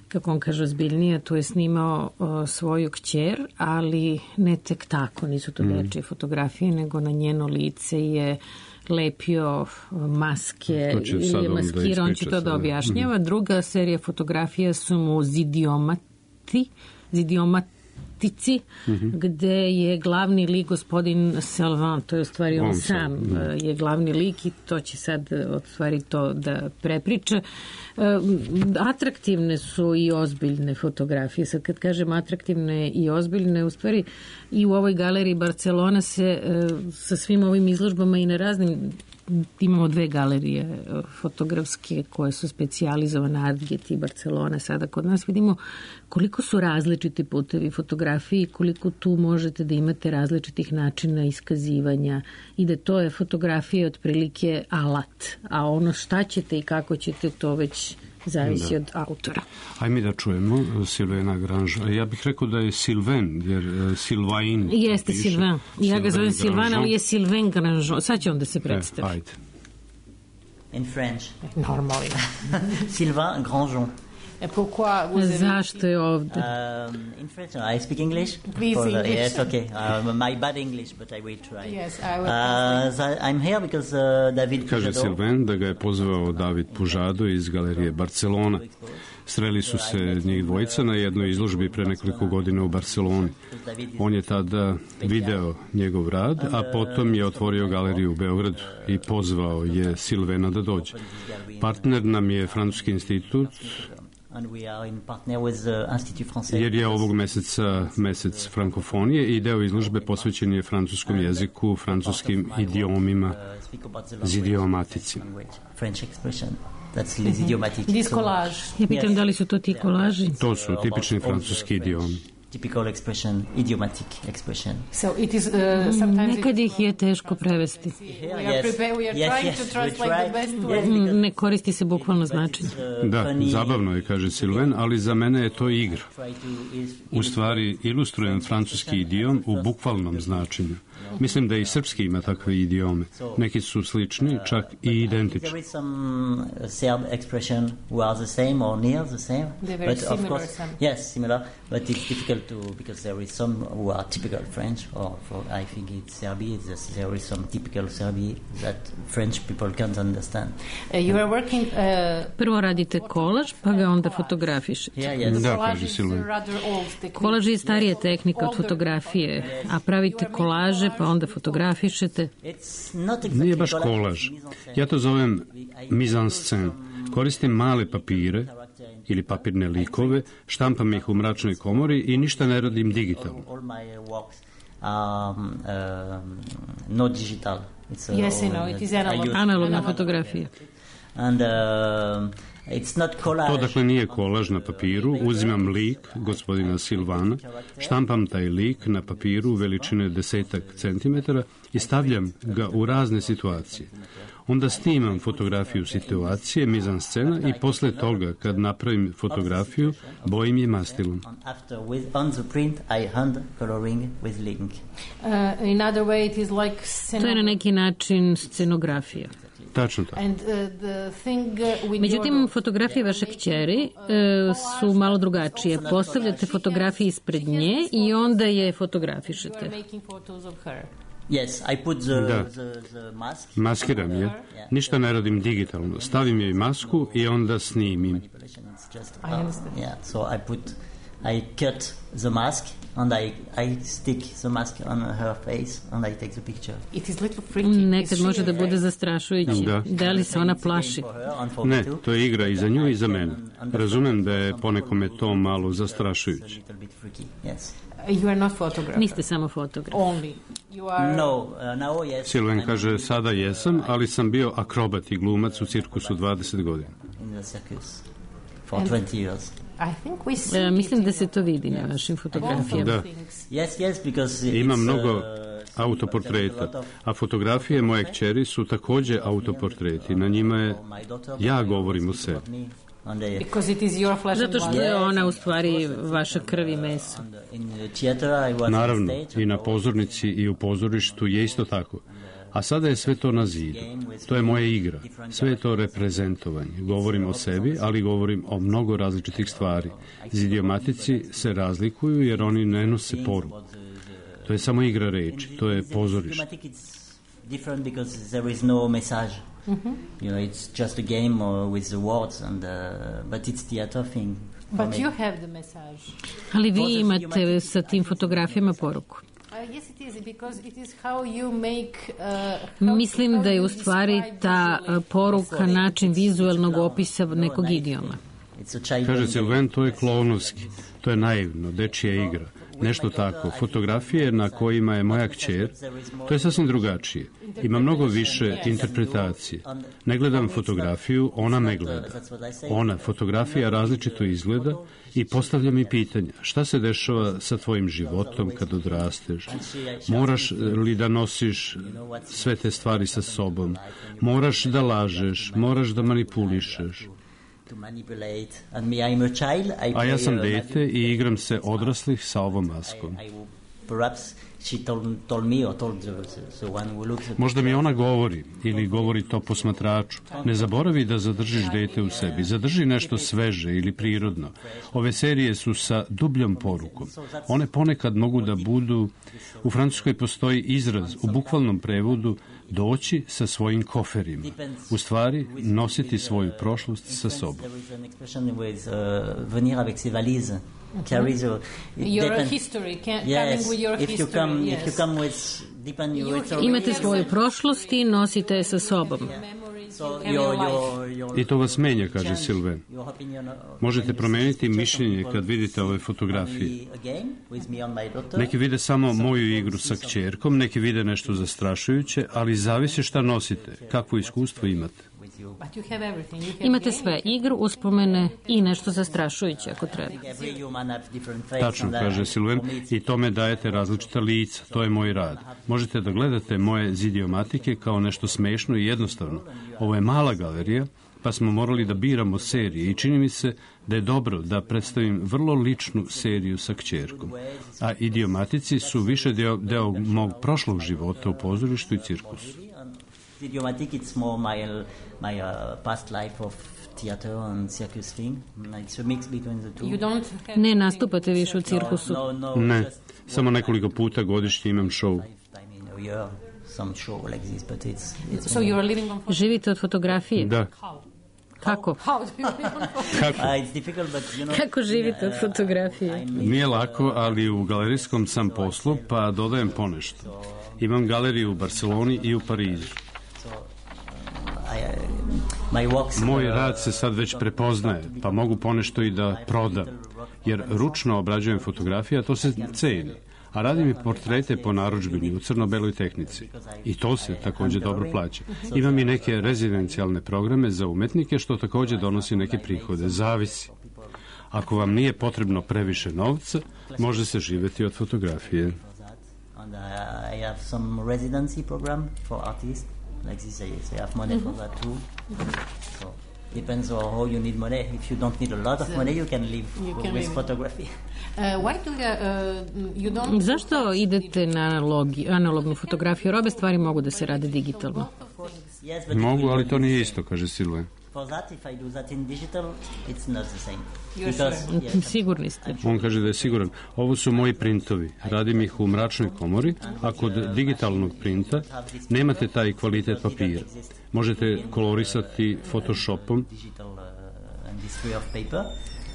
[SPEAKER 23] kako on kaže, ozbiljnija, tu je snimao svoju kćer, ali ne tek tako, nisu to dečije fotografije, nego na njeno lice je lepio maske ili maskira, on će to da objašnjava. Druga serija fotografija su mu zidiomatici, gde je glavni lik gospodin Salvan, to je u stvari on sam je glavni lik i to će sad od stvari to da prepriča. Atraktivne su i ozbiljne fotografije. Sad kad kažem atraktivne i ozbiljne, u stvari i u ovoj galeriji Barcelona se sa svim ovim izložbama i na raznim, imamo 2 galerije fotografske koje su specijalizovane, Artget i Barcelona. Sada kod nas vidimo koliko su različiti putevi fotografiji, koliko tu možete da imate različitih načina iskazivanja i da to je fotografija otprilike alat, a ono šta ćete i kako ćete to već zavisi od autora.
[SPEAKER 5] Ajme da čujemo Silvena Granžon. Ja bih rekao da je Silven, jer Silvain.
[SPEAKER 23] Jeste Silvan. Ja ga zovem Silvan, ali je Silven Granžon. Sad će on da se predstavi.
[SPEAKER 5] Ajde.
[SPEAKER 10] In French.
[SPEAKER 23] Normalno.
[SPEAKER 10] Sylvain Grandjean.
[SPEAKER 23] Zašto je ovde?
[SPEAKER 10] In French, I speak English.
[SPEAKER 18] Please English.
[SPEAKER 10] Yes, okay. My bad English, but I will try.
[SPEAKER 18] Yes, I will.
[SPEAKER 10] I'm here because David
[SPEAKER 5] Kaže
[SPEAKER 10] Pujado.
[SPEAKER 5] Silven da ga je pozvao David Pujado iz galerije Barcelona. Sreli su se njih dvojica na jednoj izložbi pre nekoliko godina u Barceloni. On je tada video njegov rad, a potom je otvorio galeriju u Beogradu i pozvao je Silvena da dođe. Partner nam je Francuski institut, jer je ovog meseca mesec frankofonije i deo izložbe posvećen je francuskom jeziku, francuskim idiomima, zidiomatici.
[SPEAKER 23] Ja pitam da li su to ti kolaži?
[SPEAKER 5] To su tipični francuski idiomi.
[SPEAKER 10] Typical expression, idiomatic expression.
[SPEAKER 18] So it is sometimes
[SPEAKER 23] nekad ih je teško prevesti.
[SPEAKER 18] We are trying to translate the best way.
[SPEAKER 23] Ne koristi se bukvalno značenje.
[SPEAKER 5] Da, zabavno je, kaže Silven, ali za mene je to igra. U stvari, ilustrujem francuski idiom u bukvalnom značenju. Mislim da i srpski ima takve idiome. Neki su slični, čak i identični.
[SPEAKER 10] There is some Serb expression who are the same or near the same.
[SPEAKER 18] They're very
[SPEAKER 10] but of
[SPEAKER 18] similar.
[SPEAKER 10] course, yes, similar. But it's difficult to, because there is some who are typical French, or for, I think it's Serbia. There is some typical Serbia that French people can't understand.
[SPEAKER 18] You are working.
[SPEAKER 23] Prvo radite kolaž, pa ga onda fotografišete.
[SPEAKER 5] Da, kaže Silven.
[SPEAKER 23] Kolaž je starija tehnika od fotografije, a pravite kolaže, pa onda fotografišete.
[SPEAKER 5] Nije baš kolaž. Ja to zovem mise en scène. Koristim male papire ili papirne likove, štampam ih u mračnoj komori i ništa ne radim digitalno.
[SPEAKER 10] All my works not digital. It's
[SPEAKER 18] Yes, I know, it is analog.
[SPEAKER 23] Analogna fotografija.
[SPEAKER 10] And it's not collage.
[SPEAKER 5] To dakle nije kolaž na papiru, uzimam lik gospodina Silvana, štampam taj lik na papiru veličine 10 centimetara i stavljam ga u razne situacije. Onda snimam fotografiju situacije, mizan scena, i posle toga, kad napravim fotografiju, bojim je mastilom.
[SPEAKER 10] On the print, I hand coloring with link.
[SPEAKER 18] In other way, it is like
[SPEAKER 23] To je na neki način scenografija.
[SPEAKER 5] Tačno tako.
[SPEAKER 18] And the thing with
[SPEAKER 23] Međutim, fotografije vaše kćeri su malo drugačije. Postavljate fotografije ispred nje i onda je fotografišete.
[SPEAKER 18] making photos of her.
[SPEAKER 10] Yes, I put
[SPEAKER 5] Da.
[SPEAKER 10] the mask.
[SPEAKER 5] Maskiram je. Ništa ne radim digitalno. Stavim joj masku i onda snimim.
[SPEAKER 10] It's just,
[SPEAKER 18] I understand.
[SPEAKER 10] Yeah, so I cut the mask and I stick the mask on her face and I take the picture.
[SPEAKER 18] It is little freaky.
[SPEAKER 23] Nekad može da bude zastrašujući.
[SPEAKER 5] Da.
[SPEAKER 23] Da li se ona plaši?
[SPEAKER 5] Ne, to je igra i za nju i za mene. Razumem da je ponekome to malo zastrašujuće.
[SPEAKER 10] Little bit freaky. Yes.
[SPEAKER 18] You are not photographer.
[SPEAKER 23] Niste samo fotograf.
[SPEAKER 18] Only. You are.
[SPEAKER 10] No, now yes.
[SPEAKER 5] Silven kaže, sada jesam, ali sam bio akrobat i glumac u cirkusu 20 godina.
[SPEAKER 10] In the circus for 20 years.
[SPEAKER 18] I think we see
[SPEAKER 23] Mislim da se to vidi na vašim fotografijama.
[SPEAKER 5] Da.
[SPEAKER 10] Yes, because
[SPEAKER 5] Ima
[SPEAKER 10] it's,
[SPEAKER 5] mnogo autoportreta, a fotografije moje kćeri su takođe autoportreti. Na njima je ja govorim o sebi.
[SPEAKER 18] Because it is your flesh and
[SPEAKER 23] Zato što
[SPEAKER 18] blood.
[SPEAKER 23] je ona u stvari vaša krv i meso.
[SPEAKER 5] Naravno, i na pozornici i u pozorištu je isto tako. A sada je sve to na zidu. To je moja igra. Sve je to reprezentovanje. Govorim o sebi, ali govorim o mnogo različitih stvari. Zidiomatici se razlikuju jer oni ne nose poruku. To je samo igra reči. To je pozorište.
[SPEAKER 10] different because there is no message. You know, it's just a game with the words, and but it's theater thing.
[SPEAKER 18] But you have the message.
[SPEAKER 23] Ali vi imate sa tim fotografijama poruku.
[SPEAKER 18] Yes, it is, because it is how you make...
[SPEAKER 23] Mislim da je u stvari ta poruka način vizuelnog opisa nekog idioma.
[SPEAKER 5] Kaže Silven, to je klovnovski, to je naivno, dečija igra. Nešto tako. Fotografije na kojima je moja kćer, to je sasvim drugačije. Ima mnogo više interpretacije. Ne gledam fotografiju, ona me gleda. Ona, fotografija različito izgleda i postavlja mi pitanja. Šta se dešava sa tvojim životom kad odrasteš? Moraš li da nosiš sve te stvari sa sobom? Moraš da lažeš, moraš da manipulišeš. A ja sam dete i igram se odraslih sa ovom maskom. Možda mi ona govori ili govori to posmatraču. Ne zaboravi da zadržiš dete u sebi. Zadrži nešto sveže ili prirodno. Ove serije su sa dubljom porukom. One ponekad mogu da budu... U Francuskoj postoji izraz u bukvalnom prevodu doći sa svojim koferima. U stvari, nositi svoju prošlost sa sobom.
[SPEAKER 23] Your history, coming with your history, yes. Imate svoju prošlost i nosite je sa sobom.
[SPEAKER 5] I to vas menja, kaže Silven. Možete promeniti mišljenje kad vidite ove fotografije. Neki vide samo moju igru sa kćerkom, neki vide nešto zastrašujuće, ali zavisi šta nosite, kakvo iskustvo imate.
[SPEAKER 23] Imate sve, igru, uspomene i nešto zastrašujuće ako treba.
[SPEAKER 5] Tačno, kaže Silven, i tome dajete različita lica, to je moj rad. Možete da gledate moje zidiomatike kao nešto smešno i jednostavno. Ovo je mala galerija, pa smo morali da biramo serije i čini mi se da je dobro da predstavim vrlo ličnu seriju sa kćerkom. A idiomatici su više deo mog prošlog života u pozorištu i cirkusu.
[SPEAKER 10] Idiomatic, it's more my past life of theater and circus thing. It's a mix between the two.
[SPEAKER 23] Ne nastupate više u cirkusu?
[SPEAKER 5] Ne, samo nekoliko puta godišnje imam show.
[SPEAKER 23] Živite od fotografije?
[SPEAKER 5] Da.
[SPEAKER 23] Kako? Kako živite od fotografije?
[SPEAKER 5] Nije lako, ali u galerijskom sam poslu, pa dodajem ponešto. Imam galeriju u Barceloni i u Parizu. Moj rad se sad već prepoznaje, pa mogu ponešto i da prodam, jer ručno obrađujem fotografije, a to se ceni. A radim i portrete po narudžbini u crno-beloj tehnici. I to se također dobro plaća. Imam i neke rezidencijalne programe za umetnike, što također donosi neke prihode. Zavisi. Ako vam nije potrebno previše novca, može se živjeti od fotografije.
[SPEAKER 10] I have some residency program for artists. Like this, I have money for that too. So depends on how you need money. If you don't need a lot of money, you can live with photography.
[SPEAKER 23] Zašto idete na analognu fotografiju? Obe stvari mogu da se rade digitalno.
[SPEAKER 5] Mogu, ali to nije isto, kaže Silven.
[SPEAKER 10] For that, if I do that in digital, it's not the same.
[SPEAKER 23] Sigurni ste?
[SPEAKER 5] On kaže da je siguran. Ovo su moji printovi. Radim ih u mračnoj komori, a kod digitalnog printa nemate taj kvalitet papira. Možete kolorisati Photoshopom.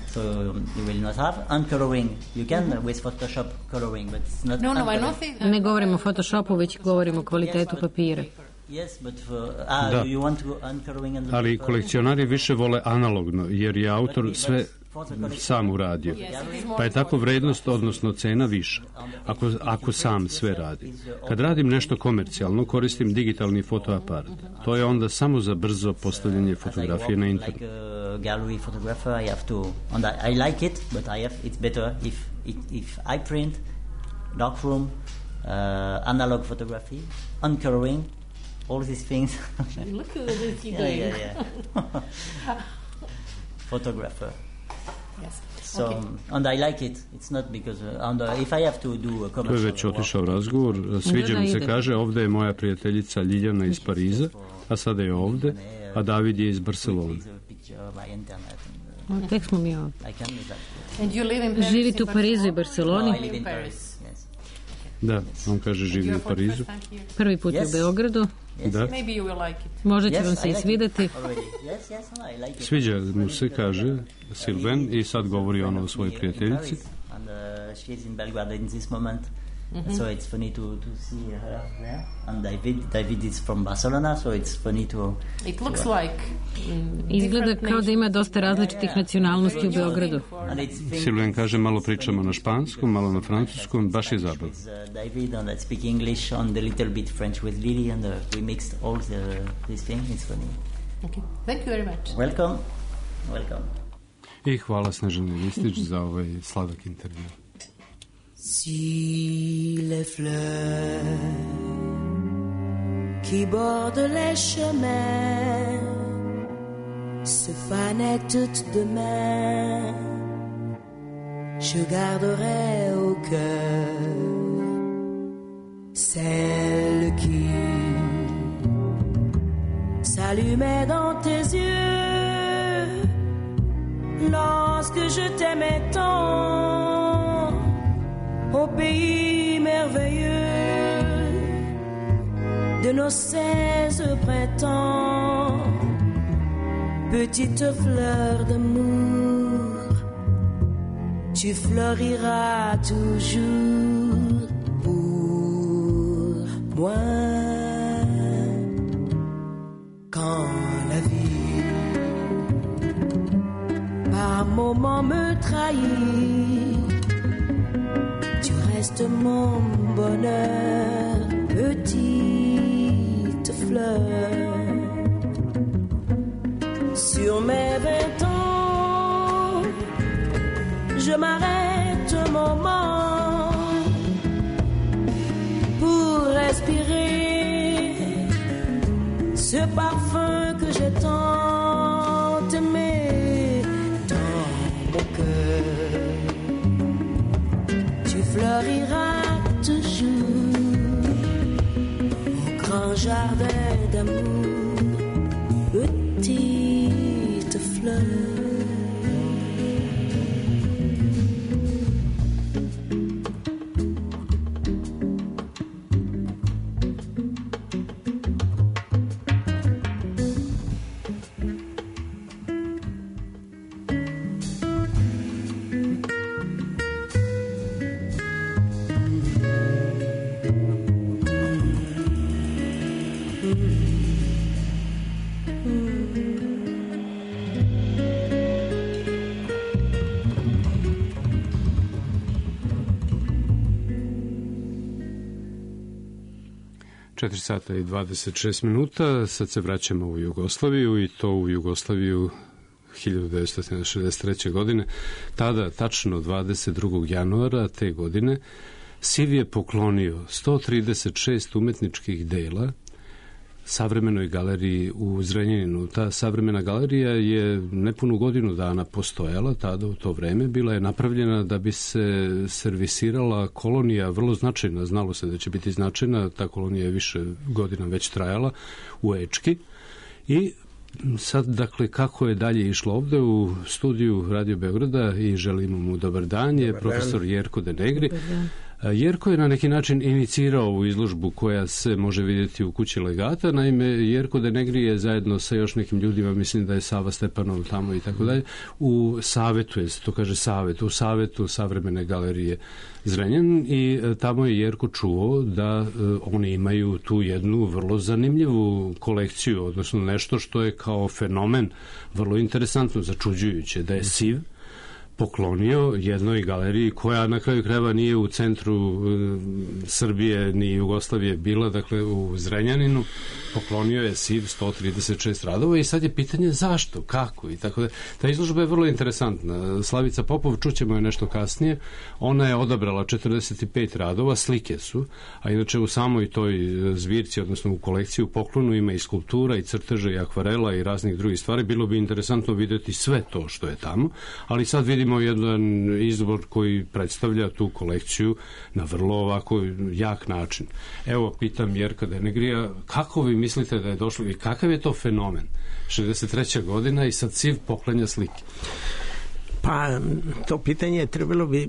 [SPEAKER 10] So you will not have uncoloring. You can with Photoshop coloring, but it's not.
[SPEAKER 23] Ne govorimo o Photoshopu, već govorimo o kvalitetu papira.
[SPEAKER 5] Da, ali kolekcionari više vole analogno, jer je autor sve sam uradio. Pa je tako vrednost, odnosno cena viša, ako sam sve radi. Kad radim nešto komercijalno, koristim digitalni fotoaparat. To je onda samo za brzo postavljanje fotografije na internet.
[SPEAKER 10] Gallery photographer, I have to, and I like it, but it's better if I print, darkroom, analog photography, uncoloring, all these things.
[SPEAKER 23] Look at this you doing.
[SPEAKER 10] Yeah. Photographer.
[SPEAKER 23] Yes.
[SPEAKER 10] So, and I like it. It's not because if I have to do a commercial.
[SPEAKER 5] To je već otišao razgovor. Sviđa mi se, kaže, ovde je moja prijateljica Ljiljana iz Pariza, a sada je ovde, a David je iz Barcelone.
[SPEAKER 23] Tek smo mi ovdje. Živite u Parizu i Barceloni?
[SPEAKER 5] Da, on kaže živi u Parizu.
[SPEAKER 23] Prvi put u Beogradu.
[SPEAKER 5] Da.
[SPEAKER 23] Možda će vam se i svideti.
[SPEAKER 5] Sviđa mu se, kaže Silven, i sad govori ono o svojoj prijateljici.
[SPEAKER 10] So it's funny to see her there. And David is from Barcelona, so it's funny to.
[SPEAKER 23] It looks like. Izgleda kao da ima dosta različitih nacionalnosti u Beogradu.
[SPEAKER 5] Silven kaže, malo pričamo na španskom, malo na francuskom, baš je zabavno.
[SPEAKER 10] David and I speak English and a little bit French with Lily, and we mixed all this thing. It's funny.
[SPEAKER 23] Okay. Thank you very much.
[SPEAKER 10] Welcome.
[SPEAKER 5] I hvala Snežani Listić za ovaj sladak intervju.
[SPEAKER 14] Si les fleurs qui bordent les chemins se fanait toute demain, je garderai au cœur celle qui s'allumait dans tes yeux lorsque je t'aimais tant au pays merveilleux de nos 16 printemps. Petite fleur d'amour, tu floriras toujours pour moi. Quand la vie par moments me trahit, tu restes mon bonheur, petite fleur. Sur mes 20 ans, je m'arrête un moment pour respirer ce parfum que j'ai tant aimé dans mon cœur. Tu fleuriras toujours au grand jardin d'amour, petite fleur.
[SPEAKER 5] Sata i 26 minuta, sad se vraćamo u Jugoslaviju i to u Jugoslaviju 1963. godine. Tada, tačno 22. januara te godine, SIV je poklonio 136 umetničkih dela savremenoj galeriji u Zrenjaninu. Ta savremena galerija je nepunu godinu dana postojala, tada u to vreme. Bila je napravljena da bi se servisirala kolonija, vrlo značajna, znalo se da će biti značajna, ta kolonija je više godina već trajala, u Ečki. I sad, dakle, kako je dalje išlo ovde u studiju Radio Beograda i želimo mu dobar dan, je profesor Jerko De Negri. Jerko je na neki način inicirao ovu izložbu koja se može vidjeti u kući legata. Naime, Jerko De Negri je zajedno sa još nekim ljudima, mislim da je Sava Stepanov tamo i tako dalje, u savetu, je se to kaže savet, u savetu Savremene galerije Zrenjanin i tamo je Jerko čuo da oni imaju tu jednu vrlo zanimljivu kolekciju, odnosno nešto što je kao fenomen vrlo interesantno, začuđujuće, da je SIV poklonio jednoj galeriji koja na kraju krajeva nije u centru Srbije ni Jugoslavije bila, dakle u Zrenjaninu, poklonio je SIV 136 radova i sad je pitanje zašto, kako i tako da. Ta izložba je vrlo interesantna. Slavica Popov, čućemo je nešto kasnije, ona je odabrala 45 radova, slike su, a inače u samoj toj zbirci, odnosno u kolekciji u poklonu ima i skulptura i crteža i akvarela i raznih drugih stvari. Bilo bi interesantno vidjeti sve to što je tamo, ali sad vidimo jedan izbor koji predstavlja tu kolekciju na vrlo ovako jak način. Evo, pitam Jerka De Negrija, kako vi mislite da je došlo i kakav je to fenomen? 63. godina i sad SIV poklanja slike.
[SPEAKER 11] Pa, to pitanje trebalo bi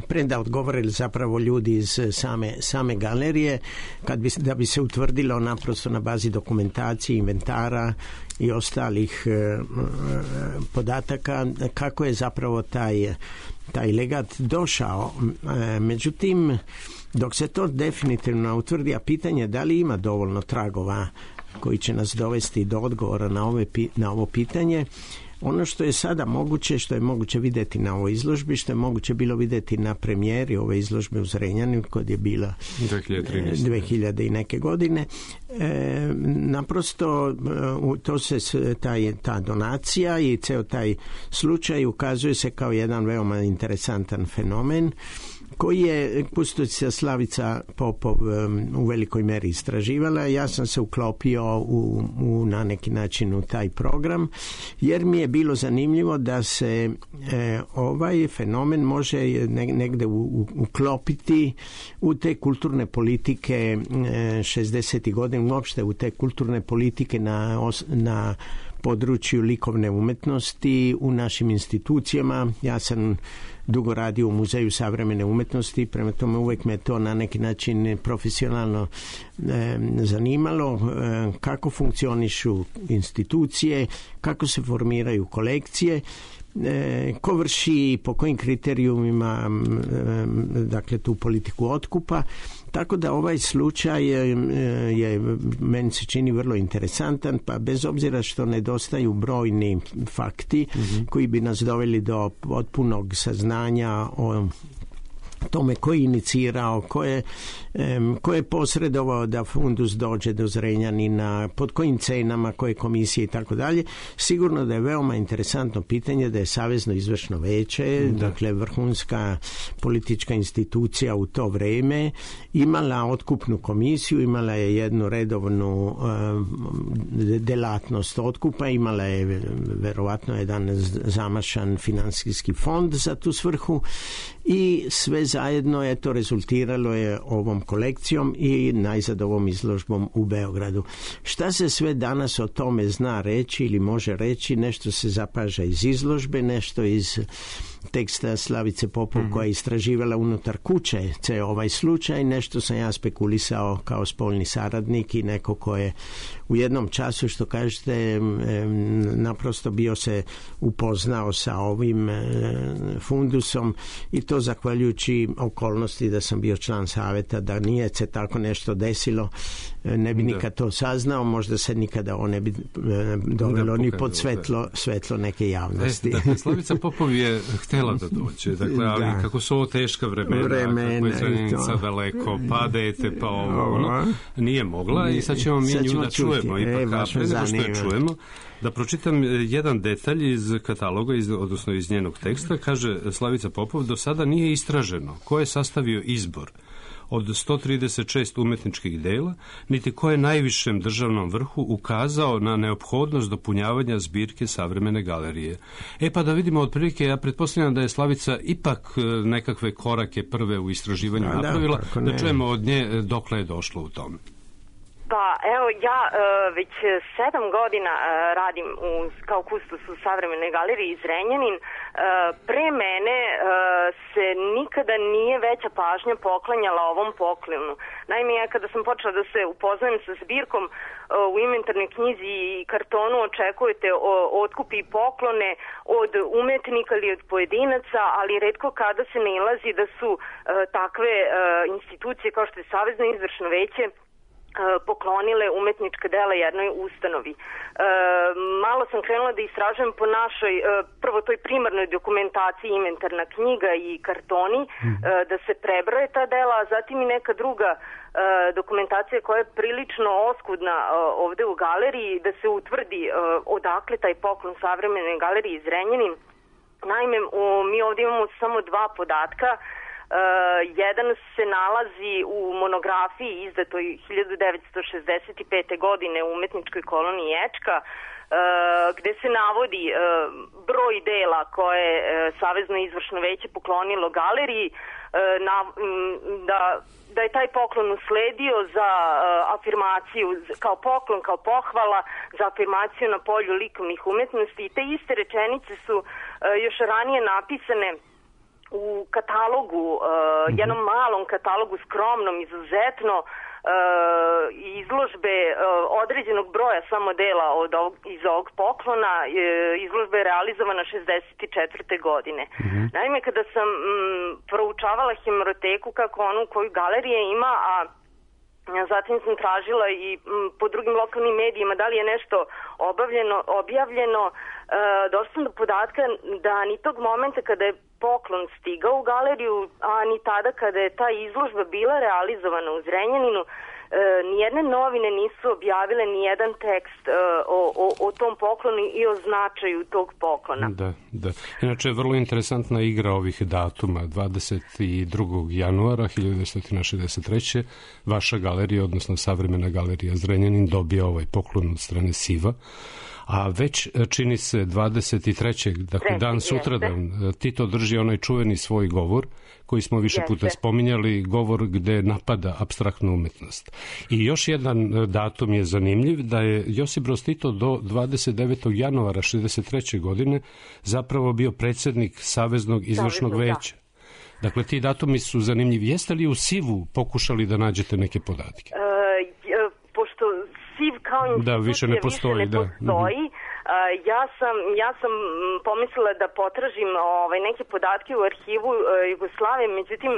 [SPEAKER 11] pre da odgovorili zapravo ljudi iz same galerije, da bi se utvrdilo naprosto na bazi dokumentacije, inventara i ostalih podataka kako je zapravo taj legat došao. Međutim, dok se to definitivno utvrdi, a pitanje da li ima dovoljno tragova koji će nas dovesti do odgovora na ovo pitanje, ono što je sada moguće, što je moguće vidjeti na ovoj izložbi, što je moguće bilo vidjeti na premijeri ove izložbe u Zrenjaninu kod je bila 2000 i neke godine, naprosto to se ta donacija i ceo taj slučaj ukazuje se kao jedan veoma interesantan fenomen koji je kustosa Slavica Popov u velikoj meri istraživala. Ja sam se uklopio na neki način u taj program, jer mi je bilo zanimljivo da se ovaj fenomen može negde uklopiti u te kulturne politike 60. godina, uopšte u te kulturne politike na području likovne umetnosti u našim institucijama. Ja sam dugo radio u Muzeju savremene umetnosti, prema tome uvek me to na neki način profesionalno zanimalo, kako funkcionišu institucije, kako se formiraju kolekcije, ko vrši, po kojim kriterijumima dakle tu politiku otkupa. Tako da ovaj slučaj je meni se čini vrlo interesantan, pa bez obzira što nedostaju brojni fakti koji bi nas doveli do potpunog saznanja o tome ko je inicirao, ko je posredovao da fundus dođe do Zrenjanina, pod kojim cenama, koje komisije i tako dalje. Sigurno da je veoma interesantno pitanje da je Savezno izvršno veće, dakle vrhunska politička institucija u to vreme, imala otkupnu komisiju, imala je jednu redovnu delatnost otkupa, imala je verovatno jedan zamašan finansijski fond za tu svrhu i sve zajedno je to rezultiralo je ovom kolekcijom i najzad ovom izložbom u Beogradu. Šta se sve danas o tome zna reći ili može reći? Nešto se zapaža iz izložbe, nešto iz teksta Slavice Popov koja je istraživala unutar kuće ceo ovaj slučaj, nešto sam ja spekulisao kao spoljni saradnik i neko ko je u jednom času, što kažete, naprosto bio se upoznao sa ovim fundusom i to zahvaljujući okolnosti da sam bio član saveta, da nije se tako nešto desilo, ne bi nikad to saznao, možda se nikada on ne bi dovelo ni pod svetlo neke javnosti.
[SPEAKER 5] Dakle, Slavica Popov je htjela da dođe, dakle, ali kako su ovo teška vremena kako je Zrenjanica daleko, pa dete, pa ovo, nije mogla i sad ćemo mi nju da čujemo. Ipak, pre nego što je čujemo, da pročitam jedan detalj iz kataloga, odnosno iz njenog teksta. Kaže Slavica Popov, do sada nije istraženo ko je sastavio izbor od 136 umetničkih dela, niti ko je najvišem državnom vrhu ukazao na neophodnost dopunjavanja zbirke savremene galerije. Pa da vidimo otprilike, ja pretpostavljam da je Slavica ipak nekakve korake prve u istraživanju napravila, da čujemo od nje dokle je došlo u tome.
[SPEAKER 12] Pa evo, ja već 7 godina radim kao kustos u Savremenoj galeriji Zrenjanin. Pre mene se nikada nije veća pažnja poklanjala ovom poklonu. Naime, ja kada sam počela da se upoznajem sa zbirkom, u inventarnoj knjizi i kartonu očekujete otkupi i poklone od umetnika ili od pojedinaca, ali retko kada se nailazi da su takve institucije kao što je Savezno izvršno veće poklonile umetnička dela jednoj ustanovi. Malo sam krenula da istražujem po našoj, prvo toj primarnoj dokumentaciji, inventarna knjiga i kartoni, da se prebroje ta dela, a zatim i neka druga dokumentacija koja je prilično oskudna ovde u galeriji, da se utvrdi odakle taj poklon Savremene galerije Zrenjanin. Naime, mi ovde imamo samo 2 podatka. Jedan se nalazi u monografiji izdatoj 1965. godine u umetničkoj koloniji Ečka, gde se navodi broj dela koje je Savezno izvršno veće poklonilo galeriji, da je taj poklon usledio za afirmaciju, kao poklon, kao pohvala za afirmaciju na polju likovnih umetnosti, i te iste rečenice su još ranije napisane u katalogu, jednom malom katalogu, skromnom, izuzetno, izložbe određenog broja samo dela iz ovog poklona. Izložba je realizovana 64. godine. Naime, kada sam proučavala hemeroteku kako onu koju galerija ima, a zatim sam tražila i po drugim lokalnim medijima da li je nešto objavljeno, došla sam do podatka da ni tog momenta kada je poklon stigao u galeriju, a ni tada kada je ta izložba bila realizovana u Zrenjaninu, nijedne novine nisu objavile nijedan tekst o tom poklonu i o značaju tog poklona.
[SPEAKER 5] Da. Inače je vrlo interesantna igra ovih datuma. 22. januara 1963. vaša galerija, odnosno Savremena galerija Zrenjanin, dobija ovaj poklon od strane SIV-a. A već čini se 23. dakle dan sutradan, Tito drži onaj čuveni svoj govor koji smo više puta spominjali, govor gde napada apstraktnu umetnost. I još jedan datum je zanimljiv, da je Josip Broz Tito do 29. januara 1963. godine zapravo bio predsjednik Saveznog izvršnog veća. Dakle, ti datumi su zanimljivi. Jeste li u SIV-u pokušali da nađete neke podatke?
[SPEAKER 12] Pošto SIV kao institucija više ne postoji. Ja sam pomislila da potražim neke podatke u arhivu Jugoslavije, međutim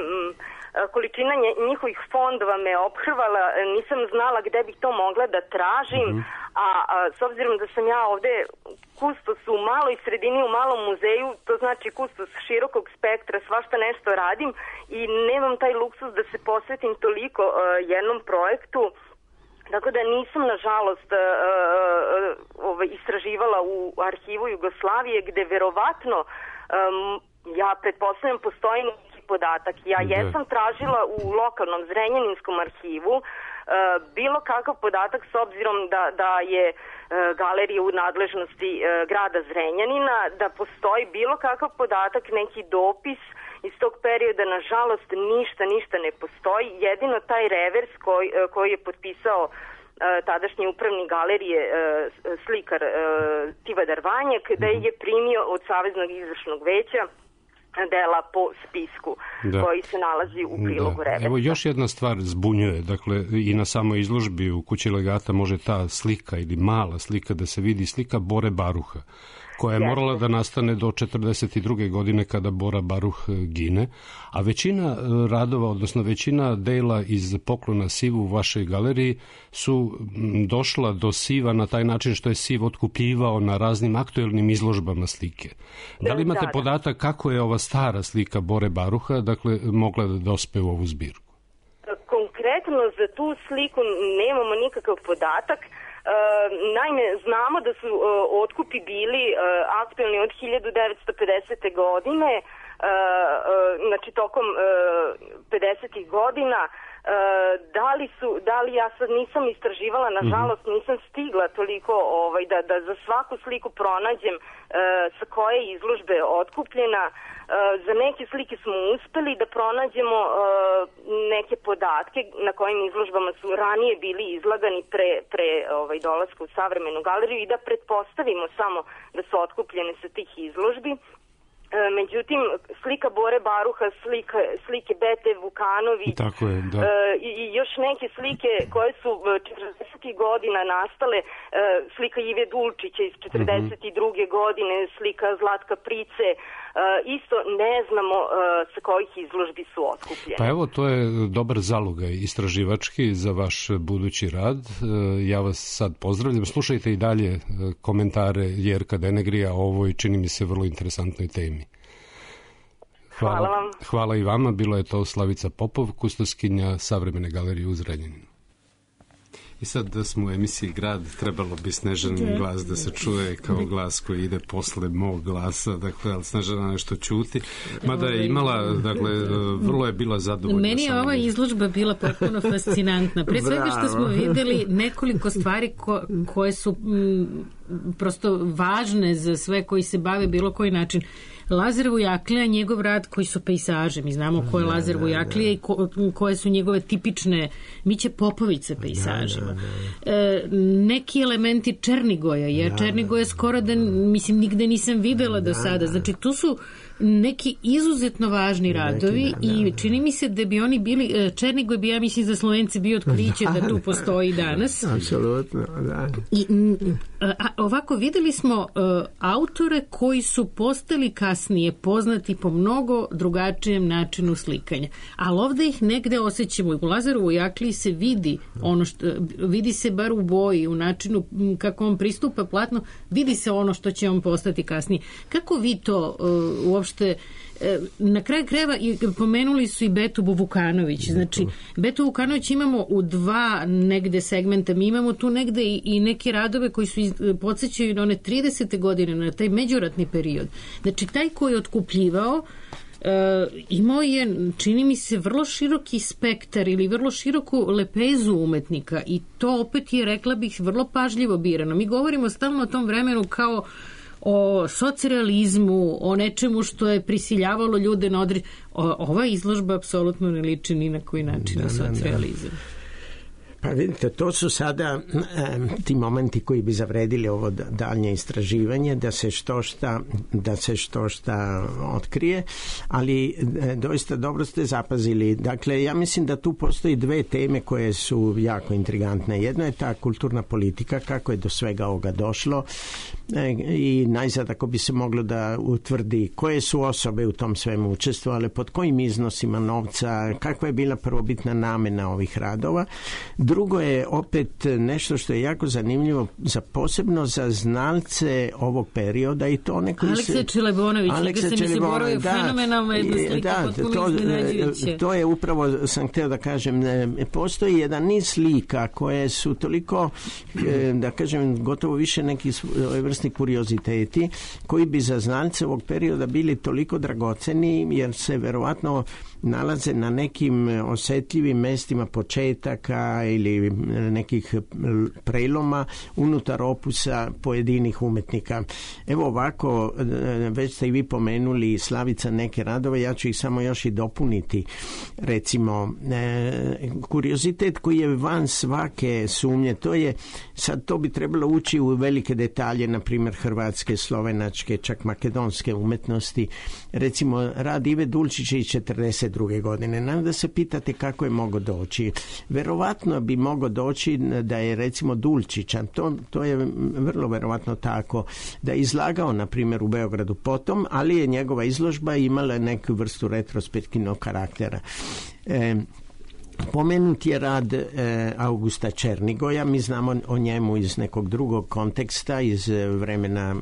[SPEAKER 12] količina njihovih fondova me ophrvala, nisam znala gde bih to mogla da tražim, a s obzirom da sam ja ovde kustos u maloj sredini, u malom muzeju, to znači kustos širokog spektra, svašta nešto radim i nemam taj luksus da se posvetim toliko jednom projektu. Tako da nisam, nažalost, istraživala u arhivu Jugoslavije, gde verovatno, ja pretpostavljam, postoji neki podatak. Ja jesam tražila u lokalnom Zrenjaninskom arhivu bilo kakav podatak, s obzirom da je galerija u nadležnosti grada Zrenjanina, da postoji bilo kakav podatak, neki dopis iz tog perioda. Nažalost, ništa ne postoji. Jedino taj revers koji je potpisao tadašnji upravnik galerije slikar Tivadar Vanjak, da je primio od Saveznog izvršnog veća dela po spisku koji se nalazi u prilogu reversa.
[SPEAKER 5] Evo još jedna stvar zbunjuje, dakle i na samoj izložbi u Kući legata može ta slika ili mala slika da se vidi, slika Bore Baruha, koja je morala da nastane do 1942. godine kada Bora Baruh gine, a većina radova, odnosno većina dela iz poklona SIV-u u vašoj galeriji su došla do SIV-a na taj način što je SIV otkupljivao na raznim aktuelnim izložbama slike. Da li imate podatak kako je ova stara slika Bore Baruha, dakle, mogla da dospe u ovu zbirku?
[SPEAKER 12] Konkretno za tu sliku nemamo nikakav podatak. Naime, znamo da su otkupi bili aktualni od 1950. godine, znači tokom 50. godina. Da li ja sad nisam istraživala, nažalost nisam stigla toliko da za svaku sliku pronađem sa koje izložbe otkupljena. Za neke slike smo uspeli da pronađemo neke podatke na kojim izložbama su ranije bili izlagani pre dolaska u Savremenu galeriju i da pretpostavimo samo da su otkupljene sa tih izložbi. Međutim, slika Bore Baruha, slike Bete Vukanović i još neke slike koje su 40. godina nastale, slika Ive Dulčića iz 42. godine, slika Zlatka Price, isto ne znamo sa kojih izložbi su otkupljene.
[SPEAKER 5] Pa evo, to je dobar zalogaj istraživački za vaš budući rad. Ja vas sad pozdravljam. Slušajte i dalje komentare Jerka Denegrija o ovoj, čini mi se, vrlo interesantnoj temi.
[SPEAKER 12] Hvala vam.
[SPEAKER 5] Hvala i vama. Bila je to Slavica Popov, kustoskinja Savremene galerije u Zrenjaninu. I sad da smo u emisiji Grad, trebalo bi Snežanin glas da se čuje kao glas koji ide posle mog glasa, dakle, ali Snežana nešto ćuti. Mada je imala, dakle, vrlo je bila zadovoljna.
[SPEAKER 23] Meni je ova izložba bila potpuno fascinantna. Pre svega što smo videli nekoliko stvari koje su prosto važne za sve koji se bave bilo koji način. Lazar Vujaklija, njegov rad koji su pejsaže, mi znamo ko je Lazar Vujaklija i koje su njegove tipične Miće Popović sa pejsažima. Neki elementi Černigoja, jer Černigoja skoro da, mislim, nigde nisam videla do sada. Znači, tu su neki izuzetno važni radovi i čini mi se da bi oni bili, Černigoj bi, ja mislim, za Slovence bio otkriće da tu postoji danas.
[SPEAKER 11] Apsolutno, da.
[SPEAKER 23] I ovako, videli smo autore koji su postali kasnije poznati po mnogo drugačijem načinu slikanja. Ali ovde ih negde osjećamo. U Lazaru Vujakliji se vidi ono što, vidi se bar u boji, u načinu kako on pristupa platno, vidi se ono što će on postati kasnije. Kako vi to uopšte uopšte na kraju krajeva pomenuli su i Betu Vukanović. Znači, Betu Vukanović imamo u dva negde segmenta. Mi imamo tu negde i neke radove koji su podsjećaju na one 30. godine, na taj međuratni period. Znači, taj koji je otkupljivao imao je, čini mi se, vrlo široki spektar ili vrlo široku lepezu umetnika i to opet je, rekla bih, vrlo pažljivo birano. Mi govorimo stalno o tom vremenu kao o socrealizmu, o nečemu što je prisiljavalo ljude na ova izložba apsolutno ne liči ni na koji način na socrealizam.
[SPEAKER 11] Pa vidite, to su sada ti momenti koji bi zavredili ovo daljnje istraživanje, da se što šta otkrije, ali doista dobro ste zapazili. Dakle, ja mislim da tu postoji dve teme koje su jako intrigantne. Jedno je ta kulturna politika, kako je do svega ovoga došlo i najzad ako bi se moglo da utvrdi koje su osobe u tom svemu učestvovale, pod kojim iznosima novca, kakva je bila prvobitna namena ovih radova. Drugo je opet nešto što je jako zanimljivo posebno za znalce ovog perioda i to neko
[SPEAKER 23] Aleksa Čelebonović, fenomenalna jedna slika, potpuno iznenađujuće.
[SPEAKER 11] To je upravo, sam hteo da kažem, postoji jedan niz slika koje su toliko, da kažem, gotovo više neki vrstni kurioziteti koji bi za znalce ovog perioda bili toliko dragoceni jer se verovatno nalaze na nekim osetljivim mestima početaka ili nekih preloma unutar opusa pojedinih umetnika. Evo ovako, već ste i vi pomenuli, Slavica, neke radove, ja ću ih samo još i dopuniti. Recimo, kuriozitet koji je van svake sumnje, to je, sad to bi trebalo ući u velike detalje, na primjer hrvatske, slovenačke, čak makedonske umetnosti. Recimo, rad Ive Dulčića iz 1942. godine. Nam da se pitate kako je mogao doći. Verovatno bi mogao doći da je recimo Dulčića, to je vrlo verovatno tako, da je izlagao na primjer u Beogradu potom, ali je njegova izložba imala neku vrstu retrospektivnog karaktera. Pomenut je rad Augusta Černigoja, mi znamo o njemu iz nekog drugog konteksta, iz vremena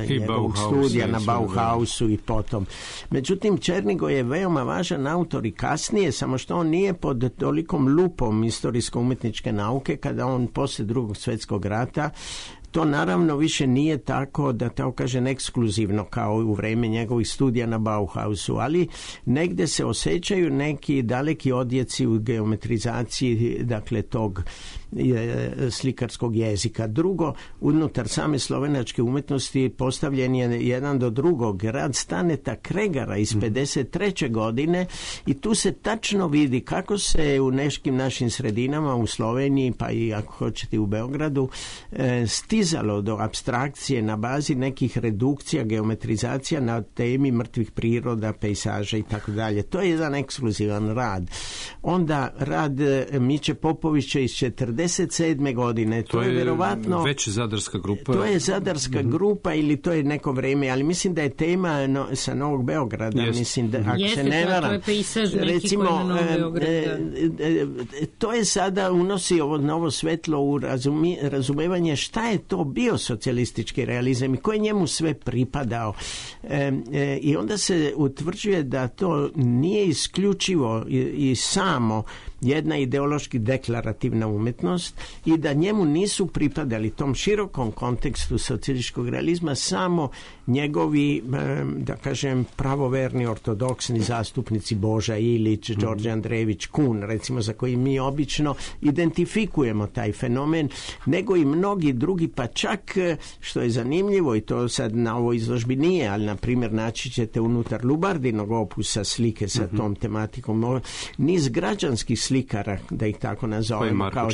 [SPEAKER 11] njegovog studija na Bauhausu i potom. Međutim, Černigoj je veoma važan autor i kasnije, samo što on nije pod tolikom lupom istorijsko-umetničke nauke kada on posle Drugog svjetskog rata. To naravno više nije tako, da tako kažem, ekskluzivno kao u vreme njegovih studija na Bauhausu, ali negde se osjećaju neki daleki odjeci u geometrizaciji, dakle, tog slikarskog jezika. Drugo, unutar same slovenačke umetnosti postavljen je jedan do drugog rad Staneta Kregara iz 53. godine i tu se tačno vidi kako se u nekim našim sredinama u Sloveniji, pa i ako hoćete u Beogradu, stizalo do apstrakcije na bazi nekih redukcija, geometrizacija na temi mrtvih priroda, pejsaža i tako dalje. To je jedan ekskluzivan rad. Onda rad Miće Popovića iz 47. godine. To je verovatno
[SPEAKER 5] već zadarska grupa.
[SPEAKER 11] To je zadarska grupa ili to je neko vreme, ali mislim da je tema sa Novog Beograda. Mislim da, ako se ne varam,
[SPEAKER 23] to je pejsaž neki
[SPEAKER 11] recimo,
[SPEAKER 23] koji na Novog Beograda.
[SPEAKER 11] To je sada unosi ovo novo svetlo u razumevanje šta je to bio socijalistički realizam i ko je njemu sve pripadao. I onda se utvrđuje da to nije isključivo i samo jedna ideološki deklarativna umetnost i da njemu nisu pripadali tom širokom kontekstu socijalističkog realizma samo njegovi, da kažem, pravoverni ortodoksni zastupnici Boža Ilić, Đorđe Andrejević Kun, recimo, za koji mi obično identifikujemo taj fenomen, nego i mnogi drugi, pa čak, što je zanimljivo i to sad na ovoj izložbi nije, ali na primjer naći ćete unutar Lubardinog opusa slike sa tom tematikom, niz građanskih slikara, da ih tako nazovemo, kao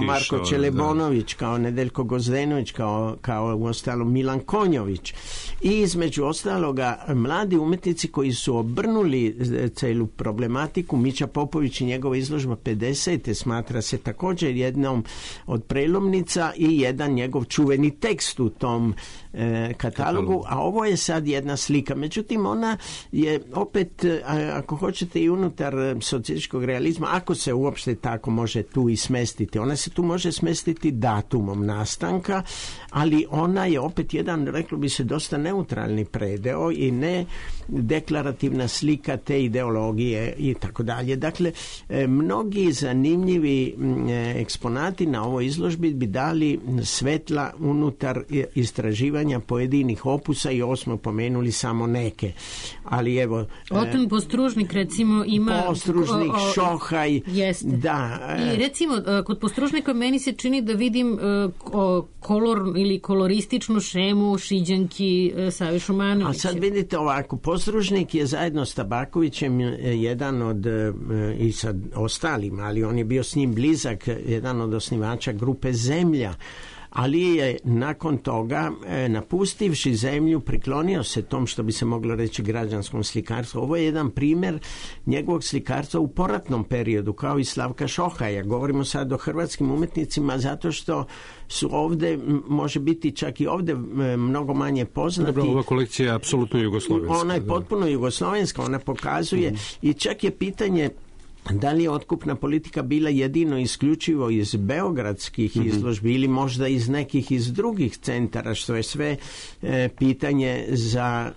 [SPEAKER 11] Marko Čelebonović, kao Nedeljko Gozdenović, kao uostalom Milan Konjović i između ostaloga mladi umetnici koji su obrnuli celu problematiku. Mića Popović i njegova izložba 50. smatra se također jednom od prelomnica i jedan njegov čuveni tekst u tom katalogu, a ovo je sad jedna slika. Međutim, ona je opet, ako hoćete, i unutar socijalističkog realizma, kako se uopšte tako može tu i smestiti? Ona se tu može smestiti datumom nastanka, ali ona je opet jedan, reklo bi se, dosta neutralni predeo i ne deklarativna slika te ideologije i tako dalje. Dakle, mnogi zanimljivi eksponati na ovoj izložbi bi dali svetla unutar istraživanja pojedinih opusa i ovo smo pomenuli samo neke. Ali evo...
[SPEAKER 23] Oton Postružnik recimo ima...
[SPEAKER 11] Postružnik, Šohaj...
[SPEAKER 23] Jeste.
[SPEAKER 11] Da.
[SPEAKER 23] I recimo, kod Postružnika meni se čini da vidim kolor ili kolorističnu šemu Šiđanki Save Šumanovića.
[SPEAKER 11] A sad vidite ovako, Postružnik je zajedno s Tabakovićem jedan od, i sa ostalim, ali on je bio s njim blizak, jedan od osnivača grupe Zemlja, ali je nakon toga, napustivši Zemlju, priklonio se tom, što bi se moglo reći, građanskom slikarstvu. Ovo je jedan primjer njegovog slikarstva u poratnom periodu, kao i Slavka Šohaja. Govorimo sad o hrvatskim umetnicima zato što su ovdje, može biti čak i ovdje mnogo manje poznati.
[SPEAKER 5] Dobro, ova kolekcija je apsolutno jugoslovenska.
[SPEAKER 11] Ona je potpuno jugoslovenska, ona pokazuje i čak je pitanje da li je otkupna politika bila jedino isključivo iz beogradskih izložbi ili možda iz nekih iz drugih centara, što je sve pitanje za,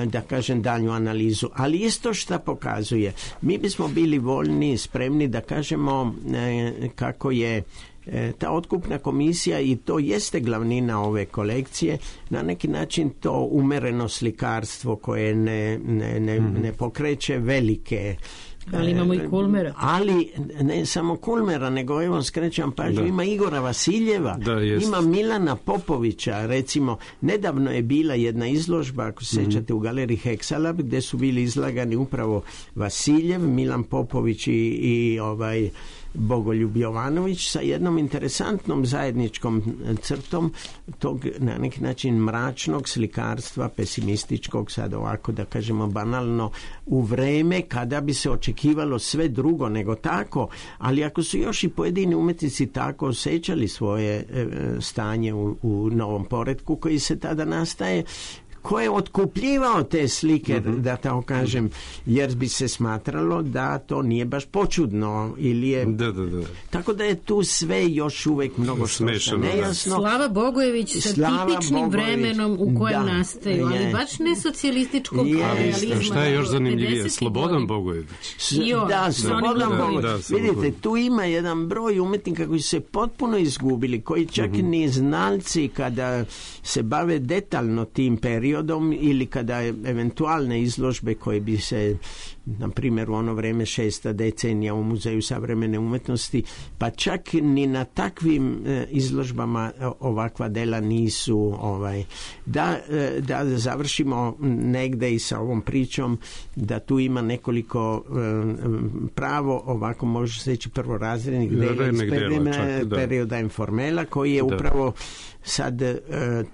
[SPEAKER 11] da kažem, dalju analizu. Ali isto što pokazuje, mi bismo bili voljni, spremni da kažemo kako je ta otkupna komisija, i to jeste glavnina ove kolekcije, na neki način to umereno slikarstvo koje ne pokreće velike.
[SPEAKER 23] Ali imamo i Kulmera.
[SPEAKER 11] Ali ne samo Kulmera, nego evo skrećam pažnju, ima Igora Vasiljeva, ima Milana Popovića, recimo nedavno je bila jedna izložba, ako se sjećate, u galeriji Heksalab, gdje su bili izlagani upravo Vasiljev, Milan Popović i Bogoljub Jovanović sa jednom interesantnom zajedničkom crtom tog na neki način mračnog slikarstva, pesimističkog, sad ovako da kažemo banalno, u vreme kada bi se očekivalo sve drugo nego tako, ali ako su još i pojedini umetnici tako osjećali svoje stanje u novom poretku koji se tada nastaje, ko je otkupljivao te slike, da tako kažem, jer bi se smatralo da to nije baš počudno ili je...
[SPEAKER 5] Da.
[SPEAKER 11] Tako da je tu sve još uvijek mnogo što nejasno.
[SPEAKER 23] Slava Bogojević sa tipičnim vremenom u kojem nastaju, ali baš ne socijalističkog realizma.
[SPEAKER 5] Šta je još zanimljivije? Slobodan Bogojević.
[SPEAKER 11] Da, Slobodan Bogojević. Vidite, tu ima jedan broj umetnika koji su se potpuno izgubili, koji čak ni znalci kada se bave detaljno tim periodom ili kada eventualne izložbe koje bi se, na primjer u ono vrijeme 6. decenija u Muzeju savremene umetnosti, pa čak ni na takvim izložbama ovakva dela nisu da završimo negde i sa ovom pričom da tu ima nekoliko pravo ovako može se reći prvorazrednih dela iz perioda informela koji je upravo sad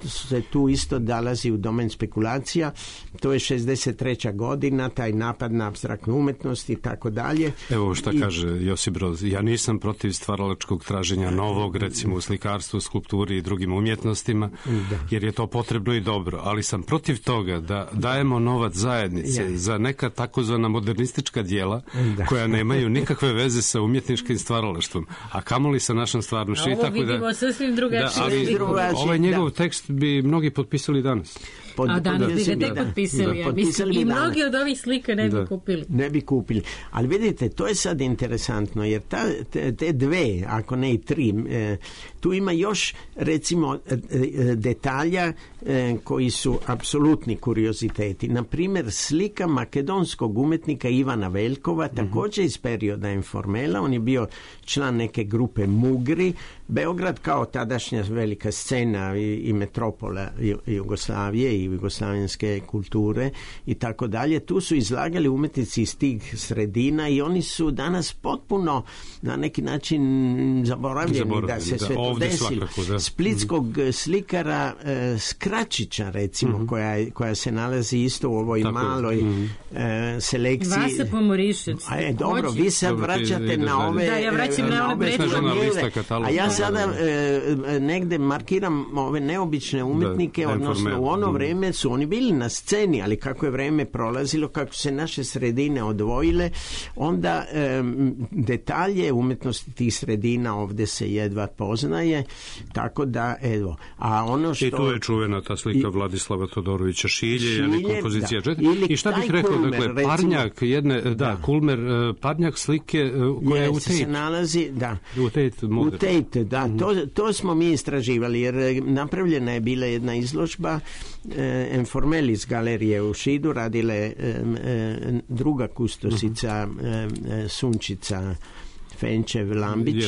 [SPEAKER 11] se tu isto dalazi u domen spekulacija. To je 63. godina, taj napad na apstraktnu umetnost i tako dalje.
[SPEAKER 5] Evo šta kaže Josip Broz. Ja nisam protiv stvaralačkog traženja novog, recimo u slikarstvu, skulpturi i drugim umjetnostima, jer je to potrebno i dobro, ali sam protiv toga da dajemo novac zajednice za neka takozvana modernistička djela koja nemaju nikakve veze sa umjetničkim stvaralaštvom, a kamoli sa našom stvarnošću.
[SPEAKER 23] Ovo vidimo sasvim drugačije.
[SPEAKER 5] Ovaj njegov tekst bi mnogi potpisali danas.
[SPEAKER 23] A danas bi ga tek potpisali. I mnogi od ovih slika ne bi kupili.
[SPEAKER 11] Ne bi kupili. Ali vidite, to je sad interesantno, jer te dve, ako ne i tri, tu ima još recimo detalja koji su apsolutni kurioziteti. Na primjer, slika makedonskog umetnika Ivana Veljkova, također iz perioda informela. On je bio član neke grupe Mugri. Beograd kao tadašnja velika scena i metropola Jugoslavije i jugoslavenske kulture i tako dalje. Tu su izlagali umetnici iz tih sredina i oni su danas potpuno na neki način zaboravljeni da se sve to desilo. Splitskog slikara Skračića, recimo, koja se nalazi isto u ovoj maloj selekciji.
[SPEAKER 23] Vasa Pomorišec.
[SPEAKER 11] Dobro, vi sad vraćate na ove...
[SPEAKER 23] Da, ja vraćam na ove
[SPEAKER 11] a ja sada negde markiram ove neobične umetnike, odnosno u ono vreme su oni bili na sceni, ali kako je vreme prolazilo, kako se naše sredine sredine odvojile, onda detalje umetnosti tih sredina ovdje se jedva poznaje, tako da evo. A ono što...
[SPEAKER 5] I tu je čuvena ta slika Vladislava Todorovića Šilje, ili kompozicija I šta bih rekao,
[SPEAKER 11] Kulmer,
[SPEAKER 5] dakle, parnjak jedne, Kulmer, parnjak slike koja je u Tate.
[SPEAKER 11] Se nalazi, da.
[SPEAKER 5] U
[SPEAKER 11] Tate, da. To smo mi istraživali, jer napravljena je bila jedna izložba Informelis galerije u Šidu, radile druga kustosica Sunčica Fenčev Lambić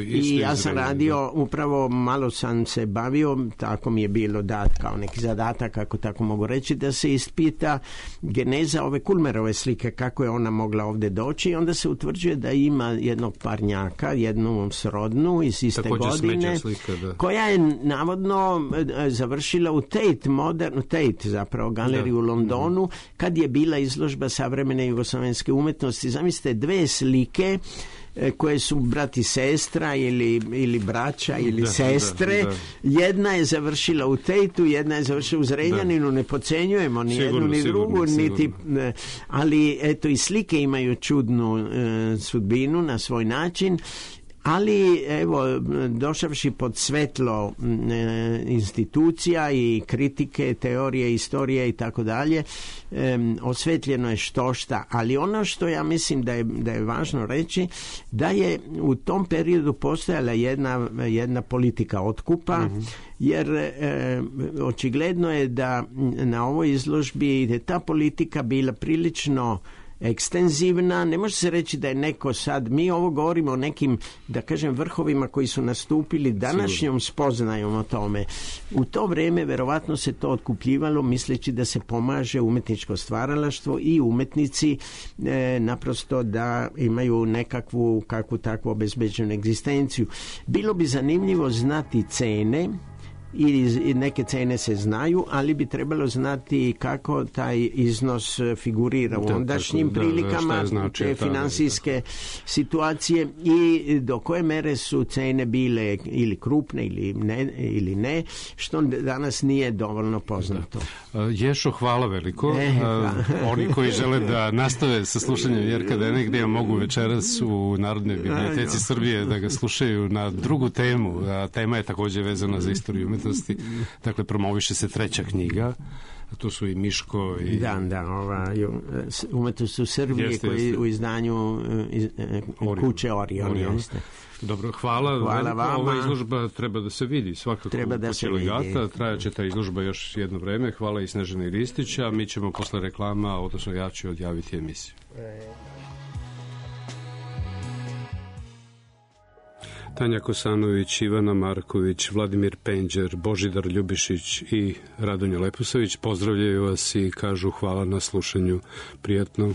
[SPEAKER 11] i ja sam radio, upravo malo sam se bavio, tako mi je bilo dat kao neki zadatak, ako tako mogu reći, da se ispita geneza ove Kulmerove slike, kako je ona mogla ovdje doći, i onda se utvrđuje da ima jednog parnjaka, jednu srodnu iz iste godine,
[SPEAKER 5] slika,
[SPEAKER 11] koja je navodno završila u Tate zapravo galeriju u Londonu, kad je bila izložba savremene jugoslovenske umetnosti. Zamislite, dve slike koje su brat i sestra ili braća ili sestre. Jedna je završila u Tateu, jedna je završila u Zrenjaninu, ne podcenjujemo ni jednu ni drugu, ali eto, i slike imaju čudnu sudbinu na svoj način. Ali evo, došavši pod svetlo institucija i kritike, teorije, istorije i tako dalje, osvetljeno je štošta, ali ono što ja mislim da je važno reći, da je u tom periodu postojala jedna politika otkupa, jer očigledno je da na ovoj izložbi je ta politika bila prilično ekstenzivna. Ne može se reći da je neko sad, mi ovo govorimo o nekim, da kažem, vrhovima koji su nastupili današnjom spoznajom o tome. U to vrijeme verovatno se to otkupljivalo misleći da se pomaže umetničko stvaralaštvo i umetnici naprosto da imaju nekakvu kakvu takvu obezbeđenu egzistenciju. Bilo bi zanimljivo znati cene, i neke cene se znaju, ali bi trebalo znati kako taj iznos figurira u ondašnjim prilikama, te financijske situacije, i do koje mere su cene bile ili krupne ili ne, što danas nije dovoljno poznato.
[SPEAKER 5] Ješo, hvala veliko. Oni koji žele da nastave sa slušanjem Jerka Denegdija mogu večeras u Narodnoj biblioteci Srbije da ga slušaju na drugu temu. Tema je također vezana za istoriju umetnosti. Dakle, promoviše se 3. knjiga. Tu su i Miško i...
[SPEAKER 11] umetnost u Srbiji koji u izdanju kuće Orion.
[SPEAKER 5] Dobro, hvala vama. Ova izložba treba da se vidi svakako.
[SPEAKER 11] Treba da se vidi.
[SPEAKER 5] Trajaće ta izložba još jedno vreme. Hvala i Snežani Ristića. Mi ćemo posle reklama, odnosno ja ću odjaviti emisiju. Tanja Kosanović, Ivana Marković, Vladimir Penđer, Božidar Ljubišić i Radonja Lepusović pozdravljaju vas i kažu hvala na slušanju. Prijatno.